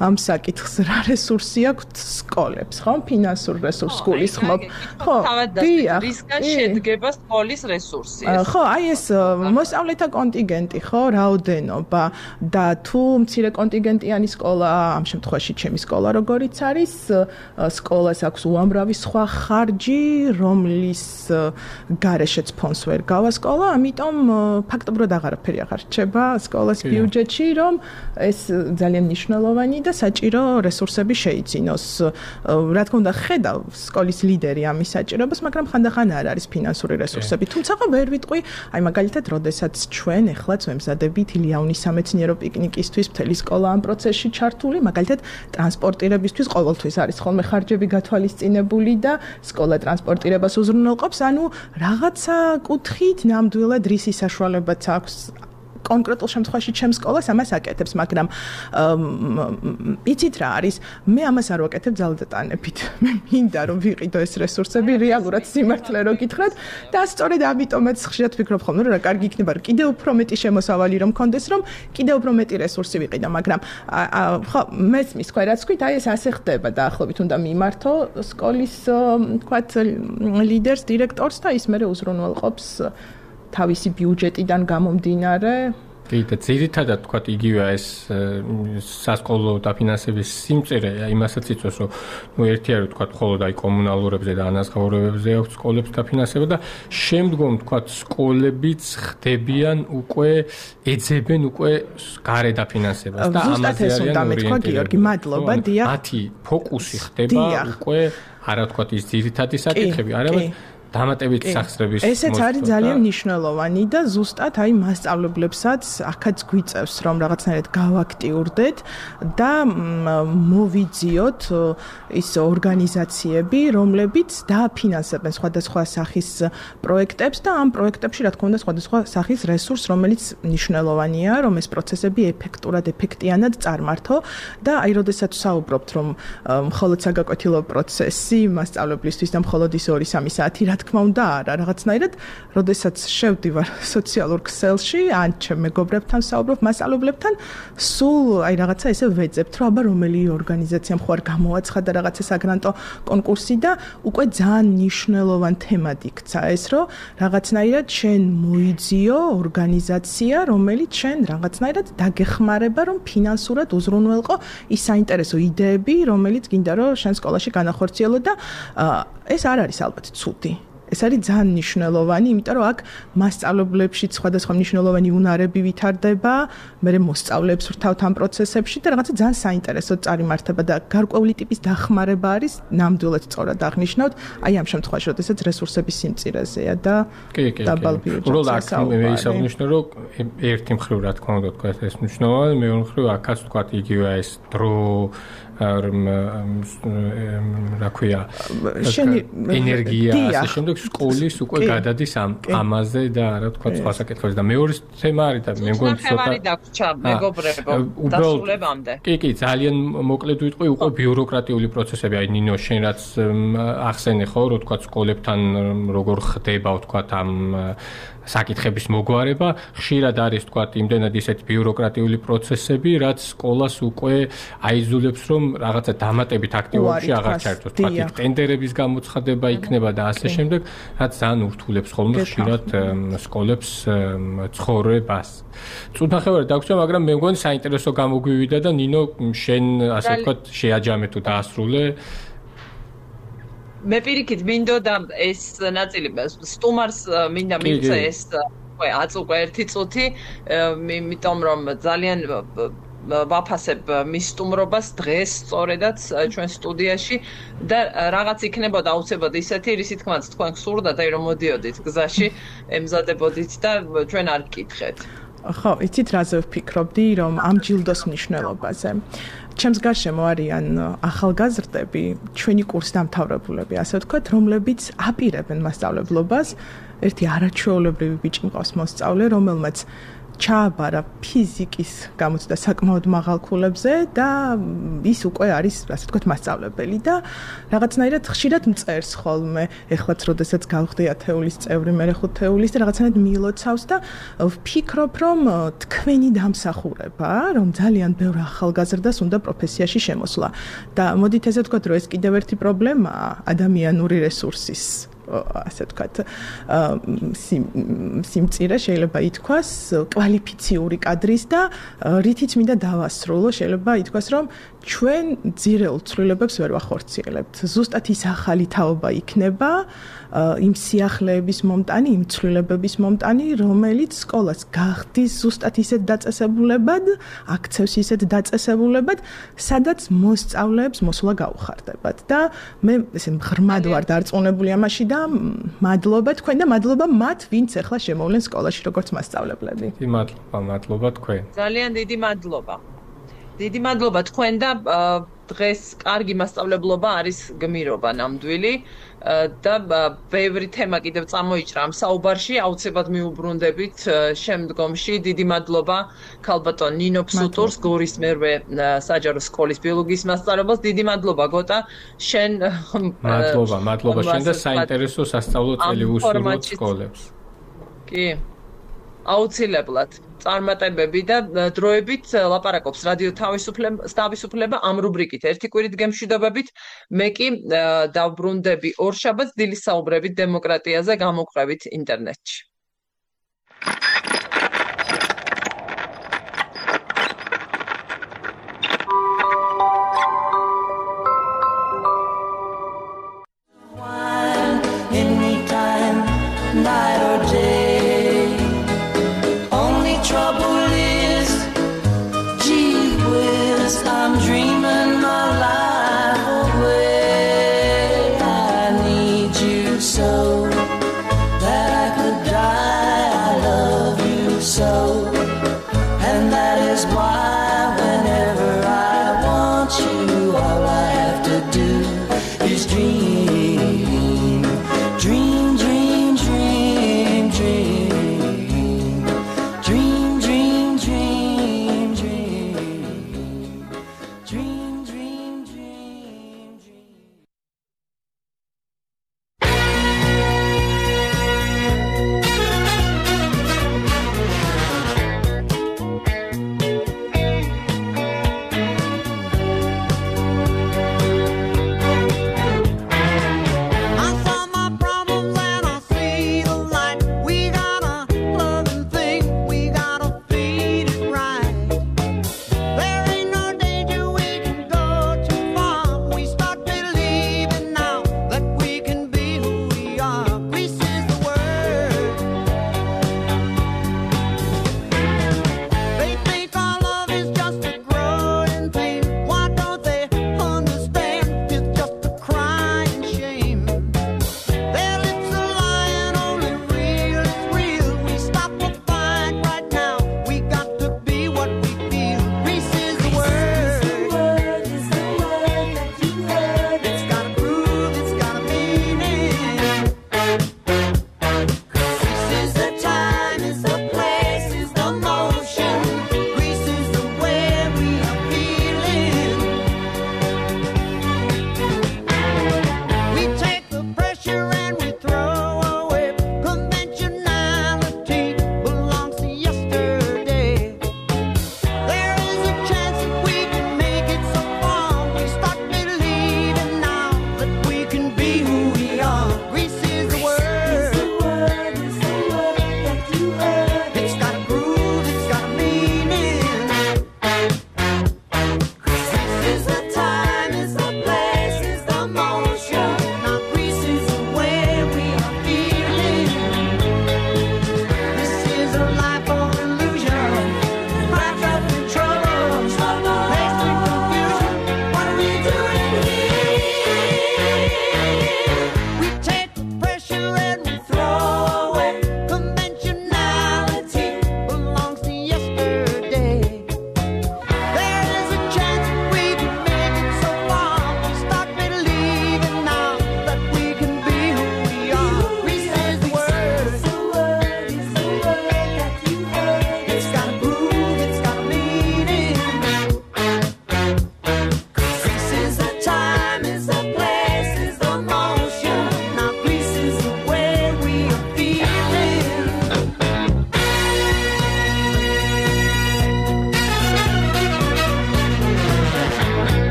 ამ საკითხს, რა რესურსი აქვს სკოლებს, ხო? ფინანსურ რესურსს გულისხმობ. ხო, რისგან შედგება სკოლის რესურსი? ხო, აი ეს მოსწავლეთა კონტინგენტი, ხო, რაოდენობა და თუ მცირე კონტინგენტიანი სკოლაა, ამ შემთხვევაში ჩემი სკოლა როგორიც არის, სკოლას აქვს უამრავი სხვა ხარჯი, რომლის გარეშეც ფონს ვერ გავა სკოლა, ამიტომ ფაქტობრივად აღარაფერი აღარ რჩება სკოლას ბიუჯეტში, რომ ეს ძალიან მნიშვნელოვანი და საჭირო რესურსები შეიძინოს. რა თქმა უნდა, ხედავ სკოლის ლიდერი ამის საჭიროებას, მაგრამ ხანდახან არ არის ფინანსური რესურსები. თუმცა ვერ ვიტყვი, აი მაგალითად, როდესაც ჩვენ ეხლაც ვემზადებით ილიაუნის სამეცნიერო პიკნიკისთვის, მთელი სკოლა ამ პროცესში ჩართული, მაგალითად, ტრანსპორტირებისთვის ყოველთვის არის ხოლმე ხარჯები გათვალისწინებული და სკოლა ტრანსპორტირებას უზრუნველყოფს, ანუ რაღაცა კუთხით ნამდვილად რისი საშუალებაც აქვს კონკრეტულ შემთხვევაში ჩემს სკოლას ამას აკეთებს, მაგრამ იცით რა არის, მე ამას არ ვაკეთებ ძალდატანებით. მე მინდა რომ ვიყიდო ეს რესურსები რეალურად სიმართლე რო გითხრათ და სწორედ ამიტომაც ხშირად ვფიქრობ ხოლმე, რომ რა კარგი იქნება, რომ კიდევ უფრო მეტი შემოსავალი რომ მქონდეს, რომ კიდევ უფრო მეტი რესურსი ვიყიდო, მაგრამ ხო, მესმის თქვა რაც ვქვით, აი ეს ასე ხდება დაახლოებით უნდა მიმართო სკოლის თქვათ ლიდერს, დირექტორს და ის მერე უზრუნველყოფს თავისი ბიუჯეტიდან გამომდინარე. კი, და ძირითადად თქვათ იგივეა ეს სასკოლო დაფინანსების სიმწირე, იმასაც იწვევს, რომ ერთი არის თქვათ მხოლოდ აი კომუნალურებზე და ანაზღაურებებზე აქვს სკოლებს დაფინანსება და შემდგომ თქვათ სკოლებიც ხდებიან უკვე ეძებენ უკვე გარე დაფინანსებას და ამაზე არიან ორიენტირებული. მადლობა, დიახ. მათი ფოკუსი ხდება უკვე არა თქვათ ის ძირითადი საკითხები, არამედ დამატებით სახსრების ესეც არის ძალიან მნიშვნელოვანი და ზუსტად აი მასწავლებლებსაც აქაც გვიწევს რომ რაღაცნაირად გავაქტიურდეთ და მოვიძიოთ ის ორგანიზაციები, რომლებიც დააფინანსებენ სხვადასხვა სახის პროექტებს და ამ პროექტებში რა თქმა უნდა სხვადასხვა სახის რესურს, რომელიც მნიშვნელოვანია, რომ ეს პროცესები ეფექტურად, ეფექტიანად წარმართო და აი როდესაც საუბრობთ რომ მხოლოდ საგაკვეთილო პროცესი მასწავლებლისთვის და მხოლოდ ის 2-3 საათი რა თქმა უნდა არა, რაღაცნაირად, როდესაც შევდივარ სოციალურ ქსელში, ან ჩემ მეგობრებთან საუბრობ, მასწავლებლებთან, სულ აი რაღაცა ესე ვეძებთ, რომ აბა რომელი ორგანიზაციამ ხო არ გამოაცხადა რაღაცა საგრანტო კონკურსი და უკვე ძალიან მნიშვნელოვან თემად იქცა ეს, რომ რაღაცნაირად შენ მოიძიო ორგანიზაცია, რომელიც შენ რაღაცნაირად დაგეხმარება, რომ ფინანსურად უზრუნველყო ის საინტერესო იდეები, რომელიც გინდა რომ შენ სკოლაში განახორციელო და ეს არ არის ალბათ ცუდი. ეს არის ძალიან მნიშვნელოვანი, იმიტომ რომ აქ მასწავლებლებშიც სხვადასხვა მნიშვნელოვანი უნარები ვითარდება, მე მოსწავლეებს ვრთავთ ამ პროცესებში და რაღაცა ძალიან საინტერესო წარიმართება და გარკვეული ტიპის დახმარება არის ნამდვილად სწორად აღნიშნავთ, აი ამ შემთხვევაში, როდესაც რესურსების სიმწირეზეა და დაბალ ბიუჯეტზე. მე ისაღვნიშნო, რომ ერთი მხრივ რა თქმა უნდა თქვა ეს მნიშვნელოვანი, მეორე მხრივ აქაც თქვა იგივე ეს დრო რა ქვია ენერგია ასე შემდეგ სკოლის უკვე გადადის ამაზე და რა თქვა სხვა საკითხებზე და მეორე თემა არის და მე მგონი ცოტა დაგვრჩა მეგობრებო დასრულებამდე. კი, ძალიან მოკლედ ვიტყვი, უკვე ბიუროკრატიული პროცესები, აი ნინო შენ რაც ახსენე ხო, რო თქვა სკოლებთან როგორ ხდება თქვა ამ საკითხების მოგვარება, ხშირად არის თქვა იმდენად ისეთ ბიუროკრატიული პროცესები, რაც სკოლას უკვე აიძულებს რომ რაღაცა დამატებით აქტივობებში აღარ ჩაერთოს. თქვა ტენდერების გამოცხადება იქნება და ასე შემდეგ, რაც ძალიან ურთულებს ხოლმე ხშირად სკოლებს ცხოვრებას. წუთნახევარი დაგვრჩა, მაგრამ მე მგონი საინტერესო გამოგვივიდა და ნინო შენ ასე ვთქვათ შეაჯამე თუ დაასრულე. მე პირიქით მინდოდა ეს ნაწილი სტუმარს მინდა მივწე ეს აწუყე 1 წუთი, იმიტომ რომ ძალიან ვაფასებ მის სტუმრობას დღეს სწორედაც ჩვენ სტუდიაში და რაღაც იქნებოდა აუცილებლად ისეთი, რისი თქმაც თქვენ გსურდათ, რომ მოდიოდით გზაში, ემზადებოდით და ჩვენ არ გკითხეთ. ხო, იცით რაზე ვფიქრობდი, რომ ამ ჯილდოს მნიშვნელობაზე. ჩემს გარშემო არიან ახალგაზრდები, ჩვენი კურსდამთავრებულები, ასე ვთქვათ, რომლებიც აპირებენ მასწავლებლობას. ერთი არაჩვეულებრივი ბიჭი მყავს მოსწავლე, რომელმაც ჩააბარა ფიზიკის გამოცდა საკმაოდ მაღალ ქულებზე და ის უკვე არის, ასე ვთქვათ, მასწავლებელი და რაღაცნაირად ხშირად მწერს ხოლმე. ეხლაც როდესაც გავხდი ათეულის წევრი, მე 5 თეულის და რაღაცნაირად მიილოცავს და ვფიქრობ, რომ თქვენი დამსახურება, რომ ძალიან ბევრ ახალგაზრდას უნდა პროფესიაში შემოსვლა. და მოდით ესე ვთქვათ, რომ ეს კიდევ ერთი პრობლემაა ადამიანური რესურსის ასე ვთქვათ, სიმწირე შეიძლება ითქვას კვალიფიციური კადრის და რითიც მინდა დავასრულო, შეიძლება ითქვას, რომ ჩვენ ძირეულ ცვლილებებს ვერ ვახორციელებთ. ზუსტად ის ახალი თაობა იქნება, იმ სიახლეების მომტანი, იმ ცვლილებების მომტანი, რომელიც სკოლას გახდის ზუსტად ისეთ დაწესებულებად, აქცევს ისეთ დაწესებულებად, სადაც მოსწავლეებს მოსვლა გაუხარდებათ. და მე ესე ღრმად ვარ დარწმუნებული ამაში და მადლობა თქვენ და მადლობა მათ, ვინც ახლა შემოვლენ სკოლაში როგორც მასწავლებლები. მადლობა თქვენ. ძალიან დიდი მადლობა. დიდი მადლობა თქვენ და დღეს კარგი მასწავლებლობა არის გმირობა ნამდვილი და ბევრი თემა კიდევ წამოიჭრა ამ საუბარში, აუცილებლად მიუბრუნდებით შემდგომში. დიდი მადლობა ქალბატონ ნინო ფსუტურს, გორის მერვე საჯარო სკოლის ბიოლოგიის მასწავლებელს. დიდი მადლობა გოტა, შენ მადლობა შენ და საინტერესო სასწავლო წელი უსურვოთ სკოლებს. კი. აუცილებლად წარმატებები და დროებით ლაპარაკობს რადიო თავისუფლება ამ რუბრიკით ერთი კვირით გემშვიდობებით. მე კი დავბრუნდები ორშაბათს დილის საუბრებით დემოკრატიაზე გამოგვყევით ინტერნეტში. Anytime, night or day.